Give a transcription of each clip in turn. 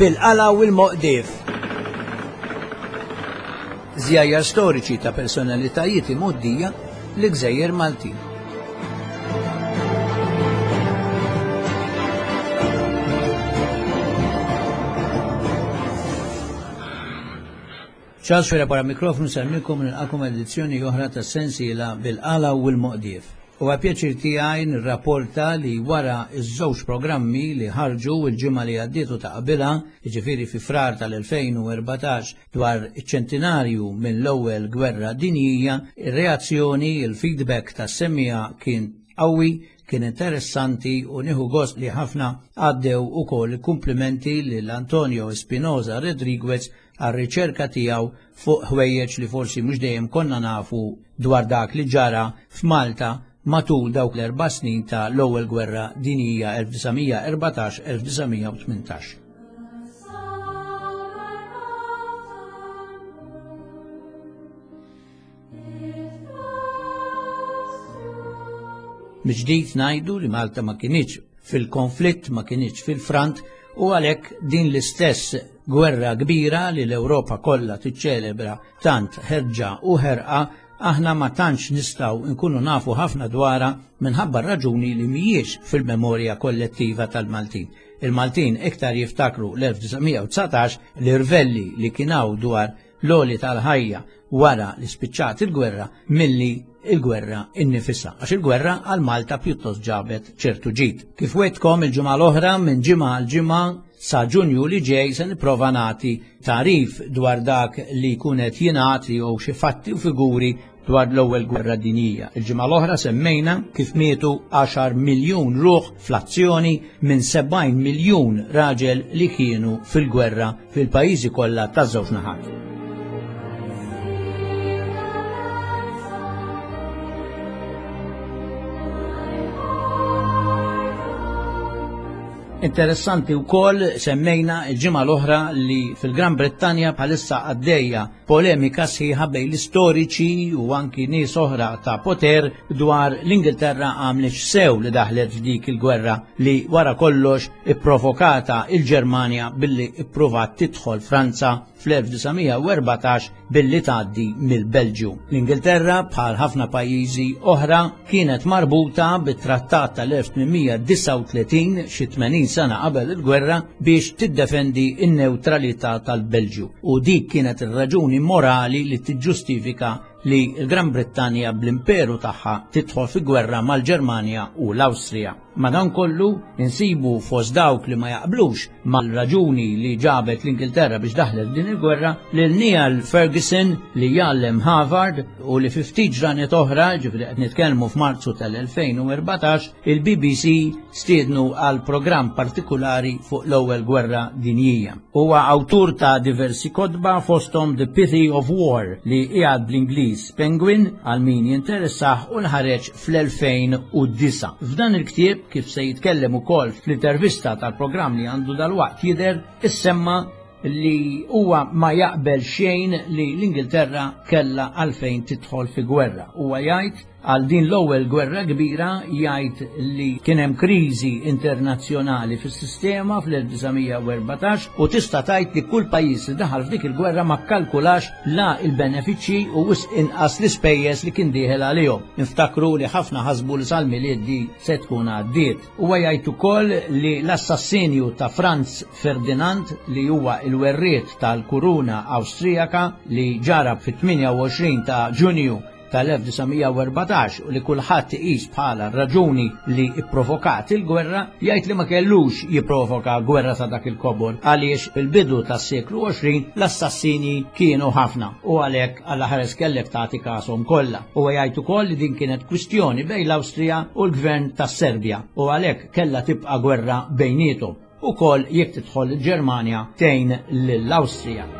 Bil-qala u l-moqdief. Żjajjar storiċi ta' personalitajiet imgħoddija l-Gżejjer Maltin. Charles Fera para mikrofonu semmilkom nilqakom edizzjoni oħra ta' sensiela bil-qala u l-moqdief. Huwa pjaċir tiegħi nirrapporta li wara ż-żewġ programmi li ħarġu l-ġimgħa li għaddiet u ta' qabilha, jiġifieri fi Frar tal-2014 dwar iċ-ċentinarju mill-Ewwel Gwerra Dinjija, ir-reazzjoni, il-feedback tas-semmiegħa kien qawwi, kien interessanti u nieħu gost li ħafna għaddew ukoll il-kumplimenti lil Antonio Espinosa Rodriguez għar-riċerka tiegħu fuq ħwejjeġ li forsi mhux dejjem konna nafu dwar dak li ġara f'Malta matul dawk l-erba' snin ta' l-Ewwel Gwerra Dinjija 1914-1918. Mill-ġdid ngħidu li Malta ma kinitx fil-konflitt, ma kinitx fil-front u għalhekk din l-istess gwerra kbira li l-Ewropa kollha tiċċelebra tant ħerġa u ħerqa aħna ma tantx nistgħu nkunu nafu ħafna dwarha minħabba raġuni li mhijiex fil-memorja kollettiva tal-Maltin. Il-Maltin iktar jiftakru l-1919 l-irvelli li kien hawn dwar l-għoli tal-ħajja wara li spiċċat il-gwerra milli il-gwerra innifisha, għax il-gwerra għal Malta pjuttost ġabet ċertu ġid. Kif wetkom il-ġimgħa l-oħra minn ġimgħa għal ġimgħa sa Ġunju li ġej se nipprova nagħti tagħrif dwar dak li jkun qed jingħad jew xi fatti u figuri dwar l-Ewwel Gwerra Dinjija. Il-ġimgħa l-oħra semmejna kif mietu 10 miljun ruħ fl-azzjoni minn 70 miljun raġel li kienu fil-gwerra fil-pajjiżi kollha taż-żewġ naħat. Interessanti wkoll semmejna il-ġimgħa l-oħra li fil-Gran Brittanja bħalissa għaddejja polemika sħiħa bejn l-istoriċi u anki nies oħra ta' poter dwar l-Ingilterra għamlitx sew li daħlet f'dik il-gwerra li wara kollox ipprovokata il-Ġermanja billi ippruvat tidħol Franza fl-1914 billi tgħaddi mill-Belġju. L-Ingilterra, bħal ħafna pajjiżi oħra, kienet marbuta bit-trattat tal-1839 xi 80 sena qabel il-gwerra biex tiddefendi n-newtralità tal-Belġju u dik kienet ir-raġuni morali li tiġġustifika li l-Gran Brittanja bl-imperu tagħha tidħol fi gwerra mal-Ġermanja u l-Awstrija. Madankollu, insibu fost dawk li ma jaqblux mal-raġuni li ġabet l-Ingilterra biex daħlet din il-gwerra lil Niall Ferguson li jgħallem Harvard u li fi ftit ġranet oħra, ġifieri qed nitkellmu f'Marzu tal-2014, il-BBC stiednu għal programm partikulari fuq l-Ewwel Gwerra Dinjija. Huwa awtur ta' diversi kotba fosthom The Pity of War li qiegħed bl-Ingliż Penguin għal min jinteressah u nħareġ fl-2009. F'dan il-ktieb, kif se jitkellem ukoll fl-intervista tal-programm li għandu dalwaqt jidher, issemma li huwa ma jaqbel xejn li l-Ingilterra kellha għalfejn tidħol fi gwerra. Huwa jgħid Għal din l-ewwel gwerra kbira jgħid li kien hemm kriżi internazzjonali fis-sistema fl-1914 u tista' tgħid li kull pajjiż li daħal f'dik il-gwerra ma kkalkulax la l-benefiċċji u wisq inqas l-ispejjeż li kien dieħel għalihom. Niftakru li ħafna ħasbu li sal-Milied di se tkun għaddiet. Huwa jgħid ukoll li l-assassinju ta' Franz Ferdinand li huwa l-werriet tal-kuruna Awstrijaka li ġarab fit-28 ta' Ġunju tal-1914 u li kulħadd iqis bħala r-raġuni li pprovokat il-gwerra, jgħid li ma kellux jipprovoka gwerra ta' dak il-kobor għaliex fil-bidu tas-seklu 20 l-assassini kienu ħafna u għalhekk Alla ħares kellek tagħti kashom kollha. Huwa jgħid ukoll li din kienet kwistjoni bejn l-Awstrija u l-gvern tas-Serbja u għalhekk kellha tibqa' gwerra bejniethom. Ukoll jekk tidħol il-Ġermanja tgħin lill-Awstrija.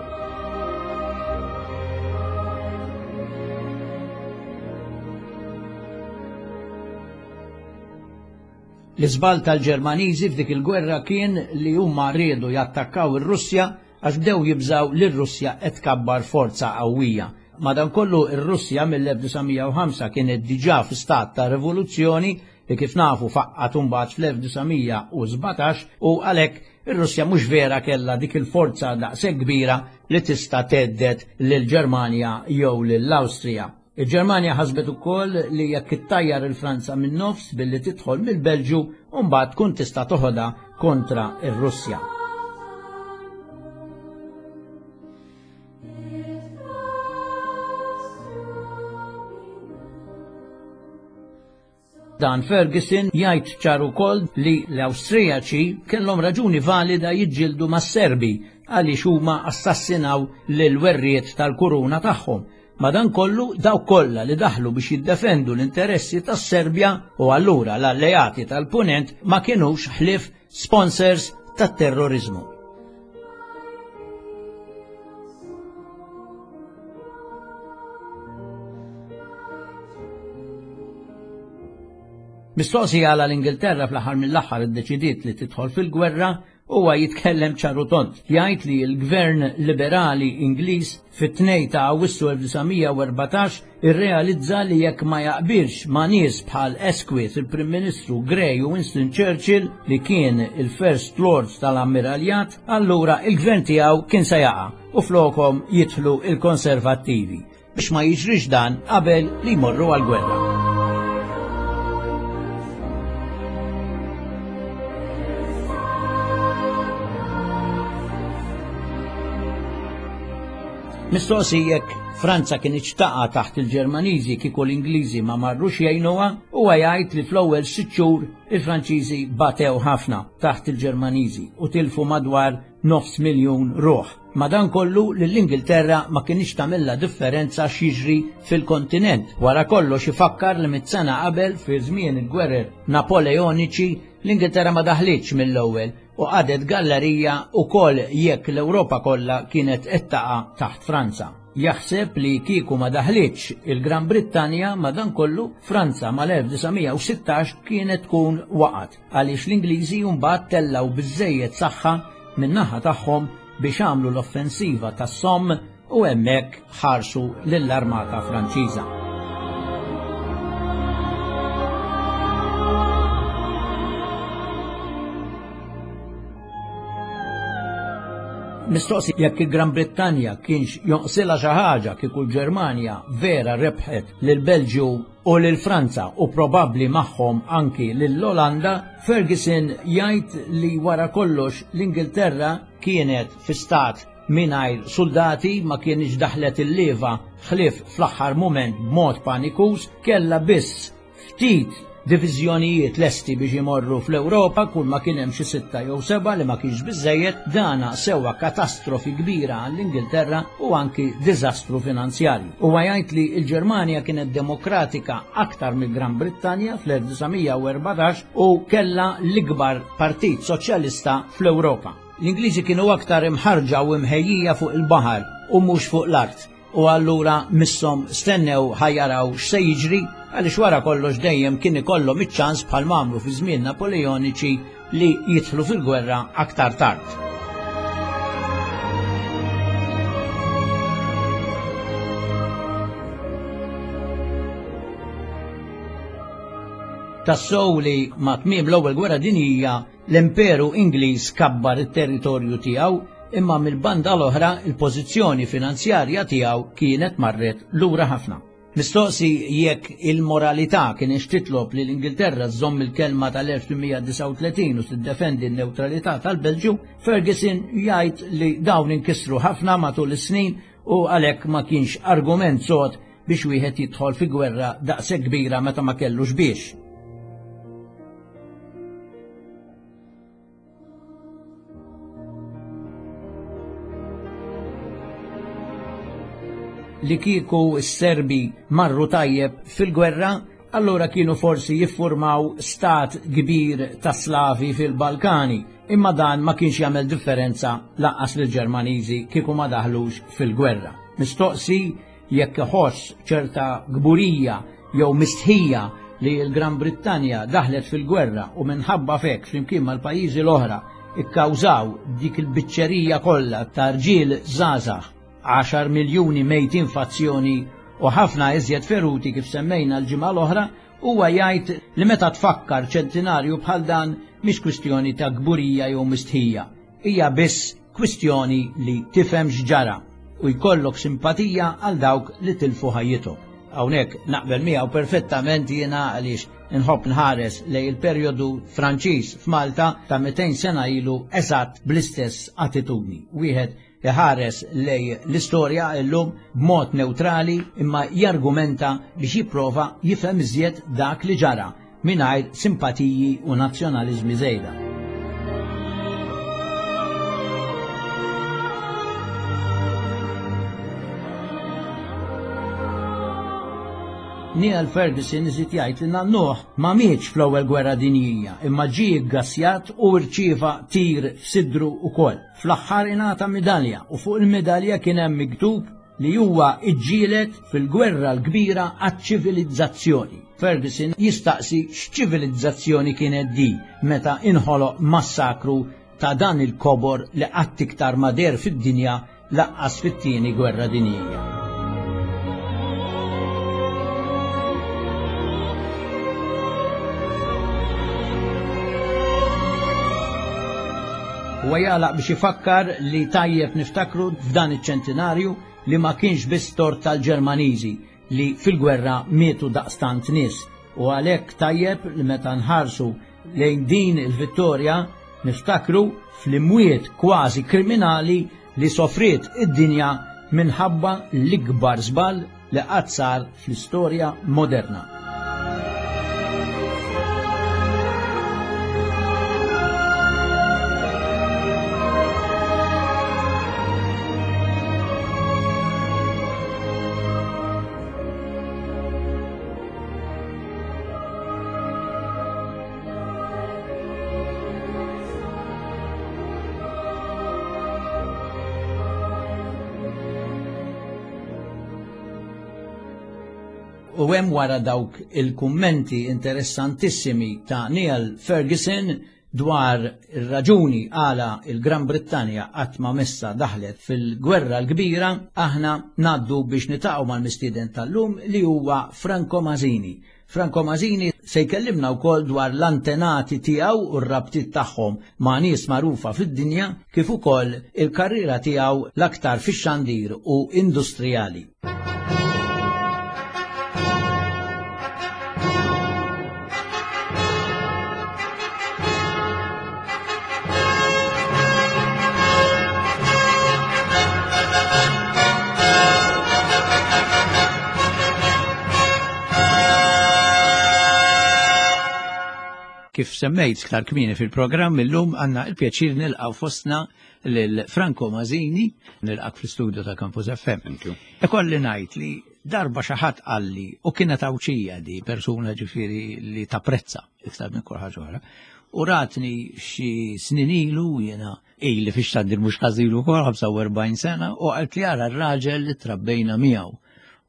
L-iżball tal-Ġermaniżi f'dik il-gwerra kien li huma riedu jattakkaw ir-Russja għax bdew jibżgħu li r-Russja qed tkabbar forza qawwija. Madankollu r-Russja mill-1905 kienet diġà fi stat ta' rivoluzzjoni. li kif nafu faqqat imbagħad fl-1917 u għalhekk ir-Russja mhux vera kellha dik il-forza daqshekk kbira li tista' thedded lill-Ġermanja jew lill-Awstrija. Il-Ġermanja ħasbet ukoll li jekk ittajjar il-Franza min-nofs billi tidħol mill-Belġju u mbagħad tkun tista' toħodha kontra r-Russja. Dan Ferguson jgħid ċar ukoll li l-Awstrijaċi kellhom raġuni valida jiġġieldu mas-Serbi għaliex huma assassinaw lil werriet tal-kuruna tagħhom. Madankollu dawk kollha li daħlu biex jiddefendu l-interessi tas-Serbja u allura l-alleati tal-Punent ma kinux ħlief sponsors tat-terroriżmu. Mistoqsi għala l-Ingilterra fl-aħħar mill-aħħar iddeċidiet li tidħol fil-gwerra, huwa jitkellem ċar u tond. Jgħid li l-Gvern Liberali Ingliż fit-2 ta' Awwissu 1914 irrealizza li jekk ma jaqbilx ma' nies bħal Asquith, il-Prim Ministru Grey u Winston Churchill li kien il-First Lord tal-Ammiraljat, allura il-gvern tiegħu kien se jaqa' u flokhom jidħlu il-Konservattivi. Biex ma jiġrix dan qabel li jmorru għall-gwerra. Mistoqsi jekk Franza kien taqa' taħt il-Ġermaniżi kieku l-Ingliżi ma marrux jgħinuha, huwa jgħid li fl-ewwel sitt xhur il-Franċiżi batew ħafna taħt il-Ġermaniżi u tilfu madwar nofs miljun ruħ. Madankollu lill-Ingilterra ma kinitx tagħmilha differenza x'jiġri fil-kontinent. Wara kollox ifakkar li mit-sena qabel fi żmien il-gwerer Napoleoniċi l-Ingilterra ma daħlitx mill-ewwel u qagħdet gallerija ukoll jekk l-Ewropa kollha kienet qed taqa' taħt Franza. Jaħseb li kieku ma daħlitx il-Gran Brittanja madankollu Franza mal-1916 kienet tkun waqgħet għaliex l-Ingliżi mbagħad tellgħu biżżejjed saħħa min-naħa tagħhom biex għamlu l-offensiva tas-Somme u hemmhekk ħarsu lill-armata Franċiża. Mistoqsi jekk il-Gran Brittanja kienx jonqsilha xi ħaġa kieku l-Ġermanja vera rebħet lil Belġju u lil Franza u probabbli magħhom anki lill-Olanda, Ferguson jgħid li wara kollox l-Ingilterra kienet fi stat mingħajr suldati, ma kienx daħlet il-lieva ħlief fl-aħħar mument b'mod panikuż, kellha biss ftit diviżjonijiet lesti biex imorru fl-Ewropa, kull ma kien hemm xi sitta jew seba' li ma kienx biżejjed, dana sewa katastrofi kbira għall-Ingilterra u anki diżastru finanzjarju. Huwa jgħid li l-Ġermanja kienet demokratika aktar mill-Gran Brittanja fl-1914 u kellha l-ikbar partit soċjalista fl-Ewropa. L-Ingliżi kienu aktar imħarrġa u imħejjija fuq il-baħar u mhux fuq l-art u allura misshom stennew ħa jaraw x'se jiġri għaliex wara kollox dejjem kien ikollhom iċ-ċans bħal m'għamlu fi żmien Napoleoniċi li jidħlu fil-gwerra aktar tard. Tassew li ma' tmiem l-Ewwel Gwerra Dinjija L-Imperu Ingliż kabbar it-territorju tiegħu, imma mill-banda l-oħra il-pożizzjoni finanzjarja tiegħu kienet marret lura ħafna. Mistoqsi jekk il-moralità kienx titlob li l-Ingilterra żżomm il-kelma tal-1839 u tiddefendi n-newtralità tal-Belġju, Ferguson jgħid li dawn inkisru ħafna matul is-snin u għalhekk ma kienx argument sod biex wieħed jidħol fi gwerra daqshekk kbira meta ma kellux biex. Li kieku s-Serbi marru tajjeb fil-gwerra, allura kienu forsi jiffurmaw stat kbir ta' Slavi fil-Balkani, imma dan ma kienx jagħmel differenza lanqas lill-Ġermaniżi kieku ma daħlux fil-gwerra. Mistoqsi jekk iħoss ċerta kburija jew mistħija li l-Gran Brittanja daħlet fil-gwerra u minħabba f'hekk flimkien mal-pajjiżi l-oħra kkawżaw dik il-biċċerija kollha ta' rġiel żgħażagħ, għaxar miljuni mejtin f'azzjoni. u ħafna iżjed feruti kif semmejna l-ġimgħa l-oħra, huwa jgħid li meta tfakkar ċentinarju bħal dan mhix kwistjoni ta' kburija jew mistħija, hija biss kwistjoni li tifhem x'ġara u jkollok simpatija għal dawk li tilfu ħajjithom. Hawnhekk naqbel miegħu perfettament jiena għaliex inħobb nħares lejn il-perjodu Franċiż f'Malta ta' 200 sena ilu eżatt bl-istess attitudni. Wieħed iħares lejn l-istorja illum b'mod newtrali imma jargumenta biex jipprova jifhem iżjed dak li ġara mingħajr simpatiji u nazzjonaliżmi żejda. Neil Ferguson iżid jgħid li nannuh ma mietx fl-ewwel gwerra dinjija imma ġie ggassjat u rċieva tir f'sidru wkoll. Fl-aħħar ingħata midalja u fuq il-midalja kien hemm miktub li huwa ġġieled fil-gwerra l-kbira għaċ-ċivilizzazzjoni. Ferguson jistaqsi x'ċivilizzazzjoni kienet di meta inħoloq massakru ta' dan il-kobor li qatt iktar ma deher fid-dinja laqqas fit-tieni gwerra dinjija. Huwa jagħlaq biex ifakkar li tajjeb niftakru f'dan iċ-ċentinarju li ma kienx biss tort tal-Ġermaniżi li fil-gwerra mietu daqstant nies u għalhekk tajjeb li meta nħarsu lejn din il-vittorja niftakru fl-imwiet kważi kriminali li sofriet id-dinja minħabba l-ikbar żball li qatt sar fl-istorja moderna. U hemm wara dawk il-kummenti interessantissimi ta' Neil Ferguson dwar ir-raġuni għala il-Gran Brittanja qatt ma messa daħlet fil-Gwerra l-Kbira, aħna ngħaddu biex nitaqgħu mal-mistieden tal-lum li huwa Franco Mazzini. Franco Mazzini se jkellimna wkoll dwar l-antenati tiegħu u r-rabtiet tagħhom ma' nies magħrufa fid-dinja kif ukoll il-karriera tiegħu l-aktar fix-xandir u industrijali. Kif semmejt iktar kmieni fil-programm illum għandna il-pjaċir nilqgħu fostna lil Franco Mazzini, nilqak fl-istudio ta' Campus FM. Thank you. Ikolli ngħid li darba xi ħadd qalli u kienet Għawdxija di persuna ġifieri li tapprezza iktar minn kull ħaġa oħra. U ratni xi snin ilu jiena ili fix-xandir mhux ħażin ukoll 45 sena u qalt li ara r-raġel li trabbejna miegħu.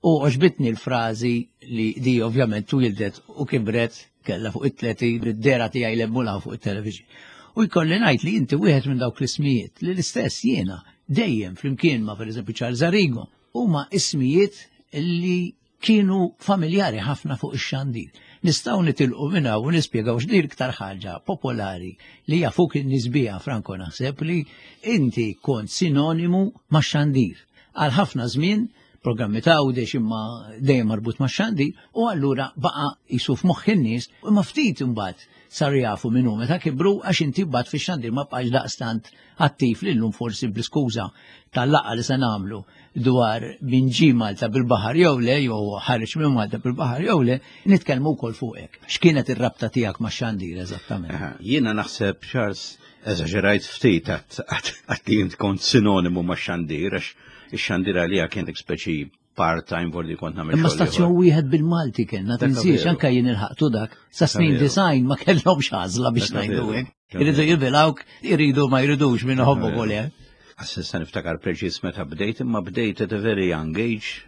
U għoġbitni l-frażi li di ovvjament twildet u kibret kella fuq it-30 bid-dera tiegħi lemmula fuq it-television. U jkolli ngħid li inti wieħed minn dawk l-ismijiet li l-istess jiena dejjem flimkien ma' pereżempju Charles Arrigo huma ismijiet li kienu familjari ħafna fuq ix-xandir. Nistgħu nitilqu minn hawn u nispjegaw x'dir iktar ħaġa popolari li jafuk in-nies biha Franco naħseb li inti kont sinonimu max-xandir. Għal ħafna żmien programmi ta' għawdex imma dejjem marbut ma' xandir u allura baqa' jisu f'moħħ in-nies imma ftit imbagħad saru jafu min hu meta kibru għax inti mbagħad fix-xandir ma bqax daqstant attiv li llum forsi bl-iskuża tal-laqgħa li se nagħmlu dwar min ġie Malta bil-baħar jew le jew ħareġ minn Malta bil-baħar jew le, nitkellmu wkoll fuqek. X'kienet ir-rabta tiegħek max-xandir eżattament? Jiena naħseb Charles eżaġerajt ftit għat li int kont sinonimu max-xandir għax ix-xandir għalija kien speċi part-time vordi kont nagħmel. Imma stazzjon wieħed bil-Malti kellna, tinsiex anke jien ilħaqtu dak. Sa snin design ma kellhomx għażla biex ngħidu hekk. Iridu jibilawk, iridu ma jridux minn ħobbu kol eh. Assista niftakar preċiż meta bdejt, imma bdejt at a very young age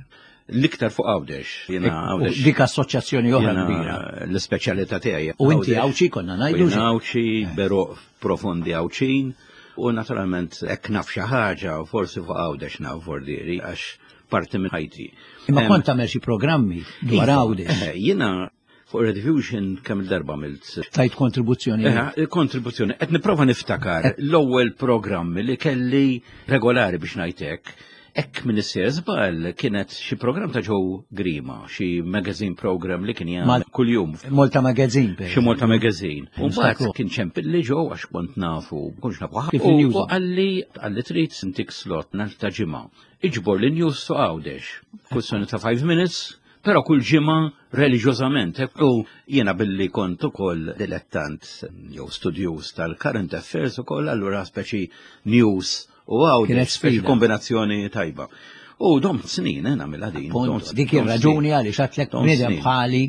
l-iktar fuq Għawdex. Jiena Għawdex. Dik assoċjazzjoni oħra kbira. L-ispeċjalità tiegħi. U inti Għawdxi konna ngħidu. Għawdxi, beruq profondi Għawdxin. U naturalment hekk naf xi ħaġa, forsi fuq Għawdex naf vordieri, għax. parti minn ħajti. Imma kont tagħmel xi programmi dwar Iva, Għawdex. Jiena fuq Rediffusion kemm il-darba għamilt. Tajt kontribuzzjoni. Kontribuzzjoni. Qed nipprova niftakar l-ewwel programmi li kelli regolari biex ngħidlek. Hekk minn issir żball kienet xi programm ta' Joe Grima, xi magazine program li kien jagħmel kuljum. Malta Magazine. per Xi Malta Magazine. U mbagħad Niftakru. kien ċempilli Joe għax kont nafu, kontx nafu. Kif U il-news. u qalli qalli trid intik slot nhar ta' ġimgħa. Iġbor li news su Għawdex. Kwistjoni ta' 5 minutes, però kull ġimgħa reliġjożament. U jiena billi kont ukoll dilettant jew studjuż tal-current affairs ukoll, allura speċi news u Kienet Għawdex, speċi sfida. kombinazzjoni tajba. U domt snin, nagħmilha din. Appunto, domt- dik domt ir-raġuni snin. għaliex għatlek Domt bniedem snin. bħali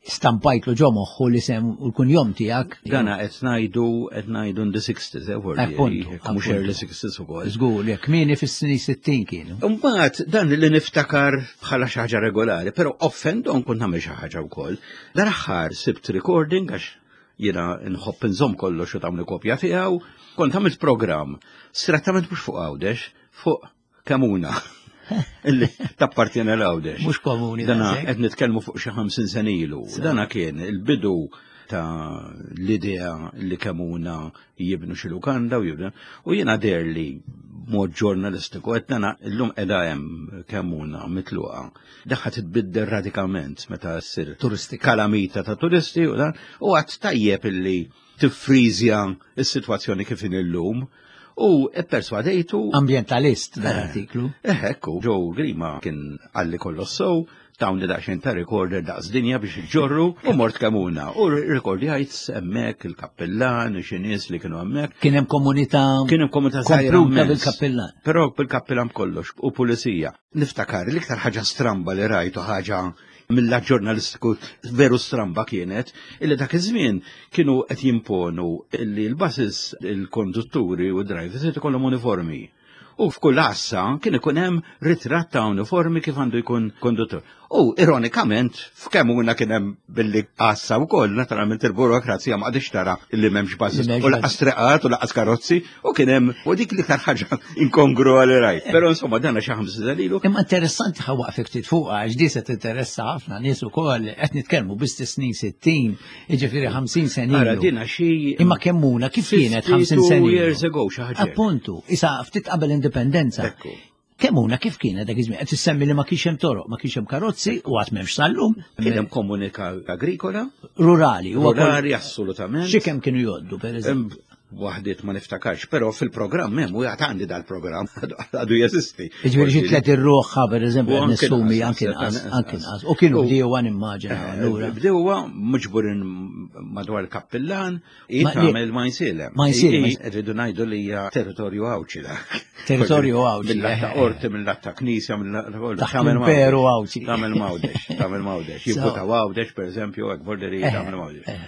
stampajtlu ġo moħħu li sem u l-kunjom tiegħek. Dana qed ngħidu qed ngħidu in the 60s, vordi, Appunto, mhux appunto. early 60s ukoll. Żgur, jekk kmieni fis-snin 60 kienu. Mbagħad dan li niftakar bħala xi ħaġa regolari, però off and on kont nagħmel xi ħaġa wkoll. Dal-aħħar sibt recording għax jiena nħobb inżomm kollox u tagħmel kopja tiegħu, kont għamilt programm strettament mhux fuq Għawdex, fuq Kemuna. Illi tappartiene l-Għawdex. Mhux komuni Dana daqshekk. qed nitkellmu fuq xi 50 sena ilu. Dana kien il-bidu ta' l-idea li Kemuna jibnu xi lukanda u jibnu. U jiena deher li mod ġurnalistiku qed dana llum qiegħda hemm Kemuna mitluqa. Daħħa titbiddel radikalment meta ssir Turistika. kalamita ta' turisti u dan u għad tajjeb illi tiffriżja s-sitwazzjoni kif inhi llum u pperswadejtu Ambientalist dan artiklu. Ekku, Joe Grima kien għalli kollox sow, tawni daqsxejn ta' recorder daqs dinja biex iġorru u mort Kemuna. U rekordjajt hemmhekk il-kappellan, xi nies li kienu hemmhekk. Kien hemm komunità Kien hemm komunità żgħira kompluta immens. bil-kappellan. Però bil-kappellan kollox u pulizija. Niftakar l-iktar ħaġa stramba li rajtu ħaġa mill-lat ġurnalistiku veru stramba kienet, illi dak iż-żmien kienu qed jimponu illi l-buses, il-kondutturi u d-drivers irid ikollhom uniformi. U f'kull għassa kien ikun hemm ritratt ta' uniformi kif għandu jkun konduttur. U ironikament, f'Kemuna kien hemm billi għassa wkoll, naturalment il-burokrazija ma qadix tara illi m'hemmx buses Li m'hemmx u laqas treqat u laqas karozzi u kien hemm u dik l-iktar ħaġa inkongrua li rajt. Però insomma dan xi ħamsa dalilu. Imma interessanti ħa waqfek ftit fuqha għax di se tinteressa ħafna nies ukoll qed nitkellmu biss snin 60, jiġifieri 50 sena Ara ilu. dina xi Imma Kemmuna kif kienet 50 52 sena ilu? years ago xi ħaġa. hekk. Appuntu, isa ftit qabel indipendenza. Ekku. Kemmuna kif kienet dak iż-żmien? Qed issemmi li ma kienx hemm toroq, ma kienx hemm karozzi u għad m'hemmx sal-lum. Kien hemm komunità agrikola, Rurali, huwa kol- rurali assolutament. Xi kemm kienu jgħoddu pereżempju. Hemm Waħdiet ma niftakarx, però fil-programm hemm u jgħat għandi dal-programm għadu jeżisti. Jiġifieri xi tlet ir-ruħha pereżempju U qed anke nissumi nqas, anke nqas, anke anke nqas. nqas. U kienu U- bdiewa nimmaġina allura. Bdewa miġburin madwar il-kappellan, Ma- tagħmel ma jsilem. Ma jsilem. Rridu ngħidu li hija territorju Għawdxi dak. Territorju Għawdxi, Mill-lat ta' eh, eh. qorti, mill-lat ta' knisja, mill-lat ta' kollu. Taħt Tagħmel l-Imperu Għawdex. Għawdxi. Tagħmel Mawdex, tagħmel Mawdex. So- Jibbuta Għawdex, pereżempju, hekk borderi Eh, tagħmel Mawdex. eh.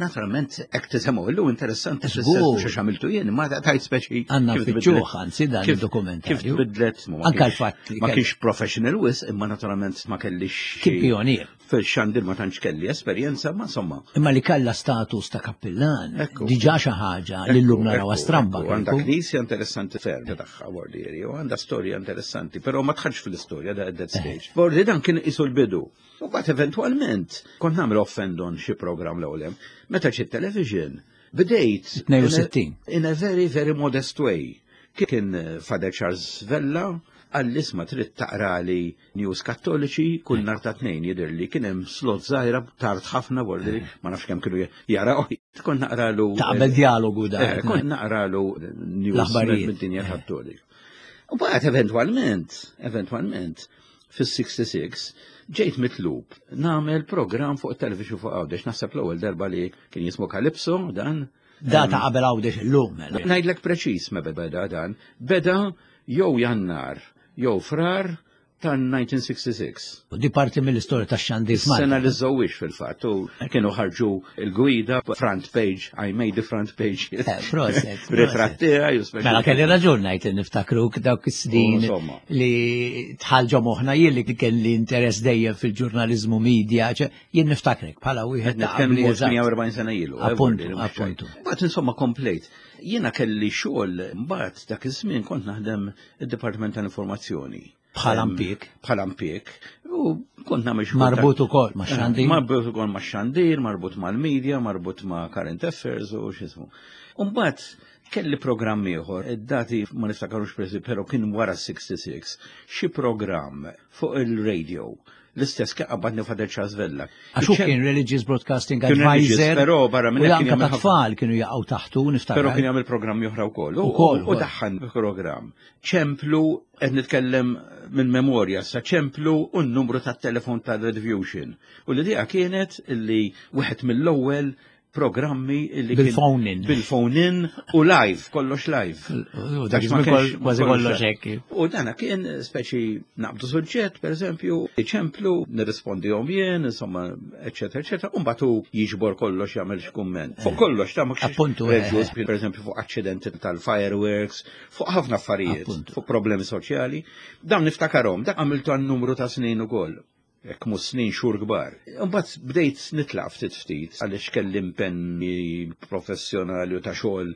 Naturalment, hekk tisemgħu illum interessanti Żgur. fis-sens mhux għamiltu jien, ma tajt speċi. Għandna kif nfittxuh, tbidlet- anzi, dan kif- id-dokumentarju. Kif tbidlet, ma Anka kienx- l-fatt li Ma kell- kienx professional wis, imma naturalment ma kellix. Kien pionier. Fil-xandir ma tantx kelli esperjenza, ma insomma. Imma li kalla status ta' kappillan, Ekku. diġà xi ħaġa li llum naraw stramba. Ekku, Għandha kieku. knisja interessanti ferm tagħha Bordieri, u għandha storja interessanti, però ma tħarx fil-istorja da at that stage. Bordi dan kien isu l-bidu. U bat eventualment kont nagħmel off and on xi programm l-ewwel hemm. Meta xi television bdejt 62. in a very very modest way. Kien Father Charles Vella għall-isma trid taqrali news kattoliċi kull nhar ta' tnejn jidher li kien hemm slot żgħira tard ħafna bordi ma nafx kemm kienu jaraw. Kont naqralu Ta' qabel dialogu da. Kont naqralu news L-aħbarijiet. mid-dinja kattolika. U baqgħet eventwalment, eventwalment, fis-66 ġejt mitlub nagħmel programm fuq it-television fuq Għawdex, naħseb l-ewwel darba li kien jismu Calypso dan. Da ta' qabel Għawdex illum. mela. Ngħidlek preċiż meta beda dan, beda jew Jannar jew Frar tan-1966. U Di parti mill-istorja ta' xandir Sena f'Malta. li żewwix fil-fatt u kienu ħarġu il-gwida front page, I made the front page. Eh, proset, proset. Ritratt tiegħi u speċi- Mela kelli raġun ngħid li niftakruk dawk is-snin U, insomma. li tħallġu moħħna jien li kelli interess dejjem fil-ġurnaliżmu media, ċe, jien niftakrek bħala wieħed ta' qabli Nitkellmu eżatt. 48 sena ilu. Appuntu, eh, mhux appuntu. ċajt. Mbagħad insomma komplejt. Jiena kelli xogħol mbagħad dak iż-żmien kont naħdem id-Dipartiment tal-Informazzjoni. Bħala mpik. Bħala mpik. U kont nagħmel xi Marbut ukoll ma' xandir. Marbut ukoll ma' xandir, marbut mal-media, marbut ma' current affairs u x'ismu. Umbagħad kelli programm ieħor, id-dati ma niftakarux preżi, però kien wara 66, xi programm fuq il-radio. L-istess kien qabadni Father Charles Vella. Għax hu kien Religious Broadcasting Advisor. Però barra minn hekk kien tfal kienu jaqgħu taħtu niftakar. Però kien jagħmel programmi oħra wkoll. Ukoll. U daħħan programm. Ċemplu qed nitkellem minn memorja sa ċemplu u n-numru tat-telefon tal-Rediffusion. U l-idea kienet li wieħed mill-ewwel programmi li bil-phone in. Bil-phone in u live, kollox live. Dak kważi kollox hekk. U dana kien speċi naqbdu suġġett, per eżempju, iċemplu, nirrispondihom jien, insomma, eċetera, eċetera, u mbagħad hu jiġbor kollox jagħmel x'kumment. Fuq kollox ta' ma Appuntu, per eżempju, fuq aċċidenti tal-fireworks, fuq ħafna affarijiet, fuq problemi soċjali. Dawn niftakarhom, dak għamiltu għan numru ta' snin ukoll. Hekk mhux snin xhur kbar. Imbagħad bdejt nitlaq ftit ftit għaliex kelli impenni professjonali u ta' xogħol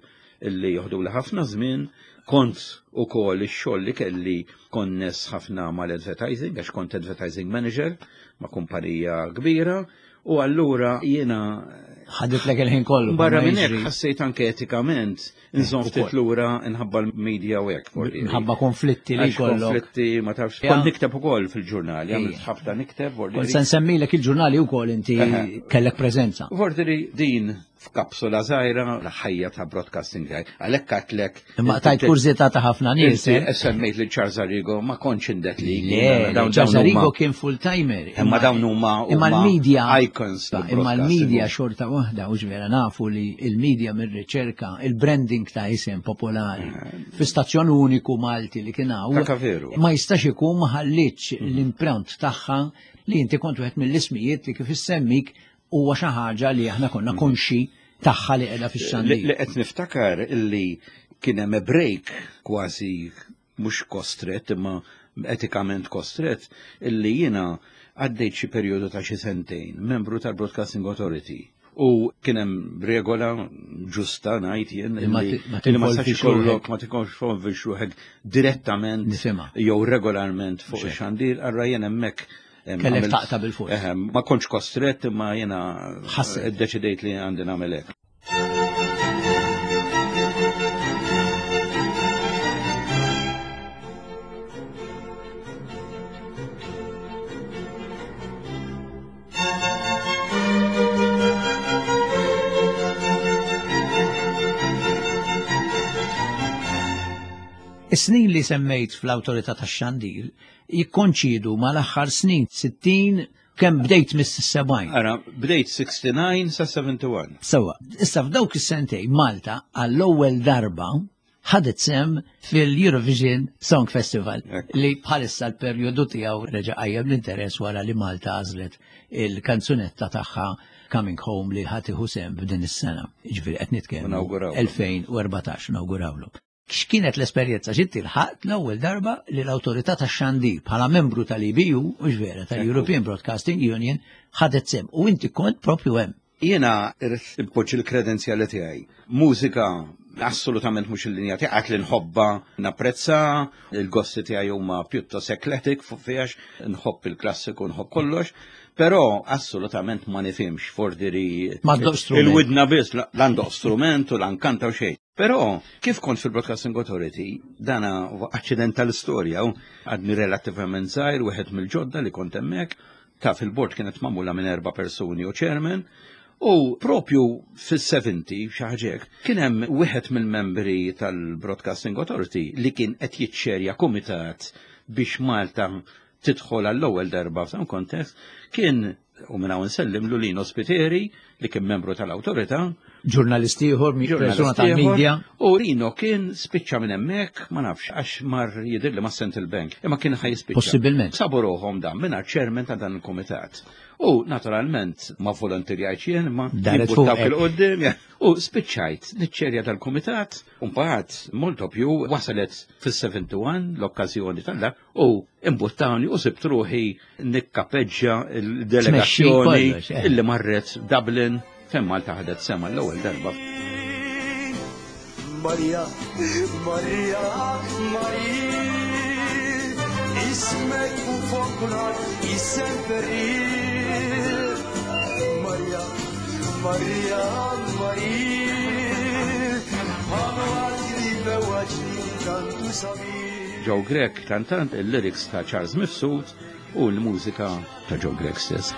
illi joħduli ħafna żmien. Kont ukoll ix-xogħol li kelli konness ħafna mal-advertising għax kont advertising manager ma' kumpanija kbira u allura jiena ħaditlek il-ħin kollu. Barra minn hekk ħassejt anke etikament Nżomm ftit lura nħabba l-media u hekk. Nħabba konflitti li jkollok. Konflitti ma tafx. Kont nikteb ukoll fil-ġurnali, għamilt ħafna nikteb. Kont se nsemmilek il-ġurnali wkoll inti kellek preżenza. Vorteri din f'kapsula żgħira l-ħajja ta' broadcasting tiegħi. Għalhekk għatlek. Imma tajt kurżità ta' ħafna nies. Eh? Semmejt li Charles Arrigo ma kontx indet li. Le, Charles Arrigo kien full-timer. Imma dawn huma imma l-media icons. Imma l-media xorta waħda u ġvera nafu li il-media mir-riċerka, il-branding ta' isem popolari eh. fi stazzjon uniku Malti li kien hawn. Ma jistax ikun ma ħallitx mhm. l-impront tagħha li inti kont wieħed mill-ismijiet li kif issemmik huwa xi ħaġa li aħna konna mhm. konxi tagħha li qiegħda fix-xandir. Li qed niftakar illi kien hemm break kważi mhux kostret imma etikament kostret illi jiena għaddejt xi perjodu ta' xi sentejn membru tal-Broadcasting Authority. U kien hemm regola ġusta ngħid jien li ma tistax ikollok ma tinvolvix ruħek direttament jew regolarment fuq ix-xandir, allura jien hemmhekk Kellek taqta' bil-fors. Ma kontx kostret imma jiena iddeċidejt li għandi nagħmel hekk. Is-snin li semmejt fl-Awtorità tax-Xandir jikkonċidu mal-aħħar snin 60 Kemm bdejt mis-70? Ara, bdejt 69 sa 71. Sewa, issa f'dawk is-sentej Malta għall-ewwel darba ħadet sem fil-Eurovision Song Festival li bħalissa l-perjodu tiegħu reġa' qajjem l-interess wara li Malta għażlet il-kanzunetta tagħha Coming Home li ħadd iħu sem f'din is-sena. Jiġifieri qed nitkellmu 2014 nawgurawlu. X'kienet l-esperjenza x'inti lħaqt l-ewwel darba li l-Awtorità tax-Xandir bħala membru tal-EBU, hux vera, tal-European Broadcasting Union, ħadet sehem u inti kont propju hemm. Jiena irrid inpoġġi l-kredenzjali tiegħi. Mużika assolutament mhux il-linja tiegħi, għad li nħobbha, napprezza, il-gosti tiegħi huma pjuttost eclectic fuq fiha nħobb il-klassiku, nħobb kollox, però assolutament ma nifhimx fordiri il-widna biss, l-għandu strument u l-ankanta u xejn. Però, kif kont fil-Broadcasting Authority, dana aċċident tal-istorja, għadni relattivament żgħir, wieħed mill-ġodda li kont hemmhekk, taf il-bord kienet magħmula minn erba' persuni u chairman, u propju fis-70 xi ħaġa hekk, kien hemm wieħed mill-membri tal-Broadcasting Authority li kien qed jiċċerja kumitat biex Malta tidħol għall-ewwel darba f'dan kontest, kien U minn hawn nsellimlu Lino Spiteri li kien membru tal-awtorità. Ġurnalist ieħor, persuna tal-media. U Lino kien spiċċa minn hemmhekk, ma nafx, għax mar jidhirli ma' Central Bank, imma kien ħa jispiċċa. Possibilment. Sabu ruħhom dan mingħajr chairman ta' dan il-kumitat. U naturalment ma volontirjajtx jien, ma jimbuttawk il-qudiem. U spiċċajt niċċerja tal-kumitat, u mbagħad molto più wasalet fis-71 l-okkażjoni tal-dak U imbuttawni u sibt ruħi nikkapeġġa l-delegazzjoni eh. illi marret Dublin fejn Malta ħadet sema l-ewwel darba. Maria, Maria, Maria. Ismek u fomm kulħadd jissemper Maria, Maria, Maria, Joe Grech kantant il-lyrics ta' Charles Mifsud u l-mużika ta' Joe Grech stess.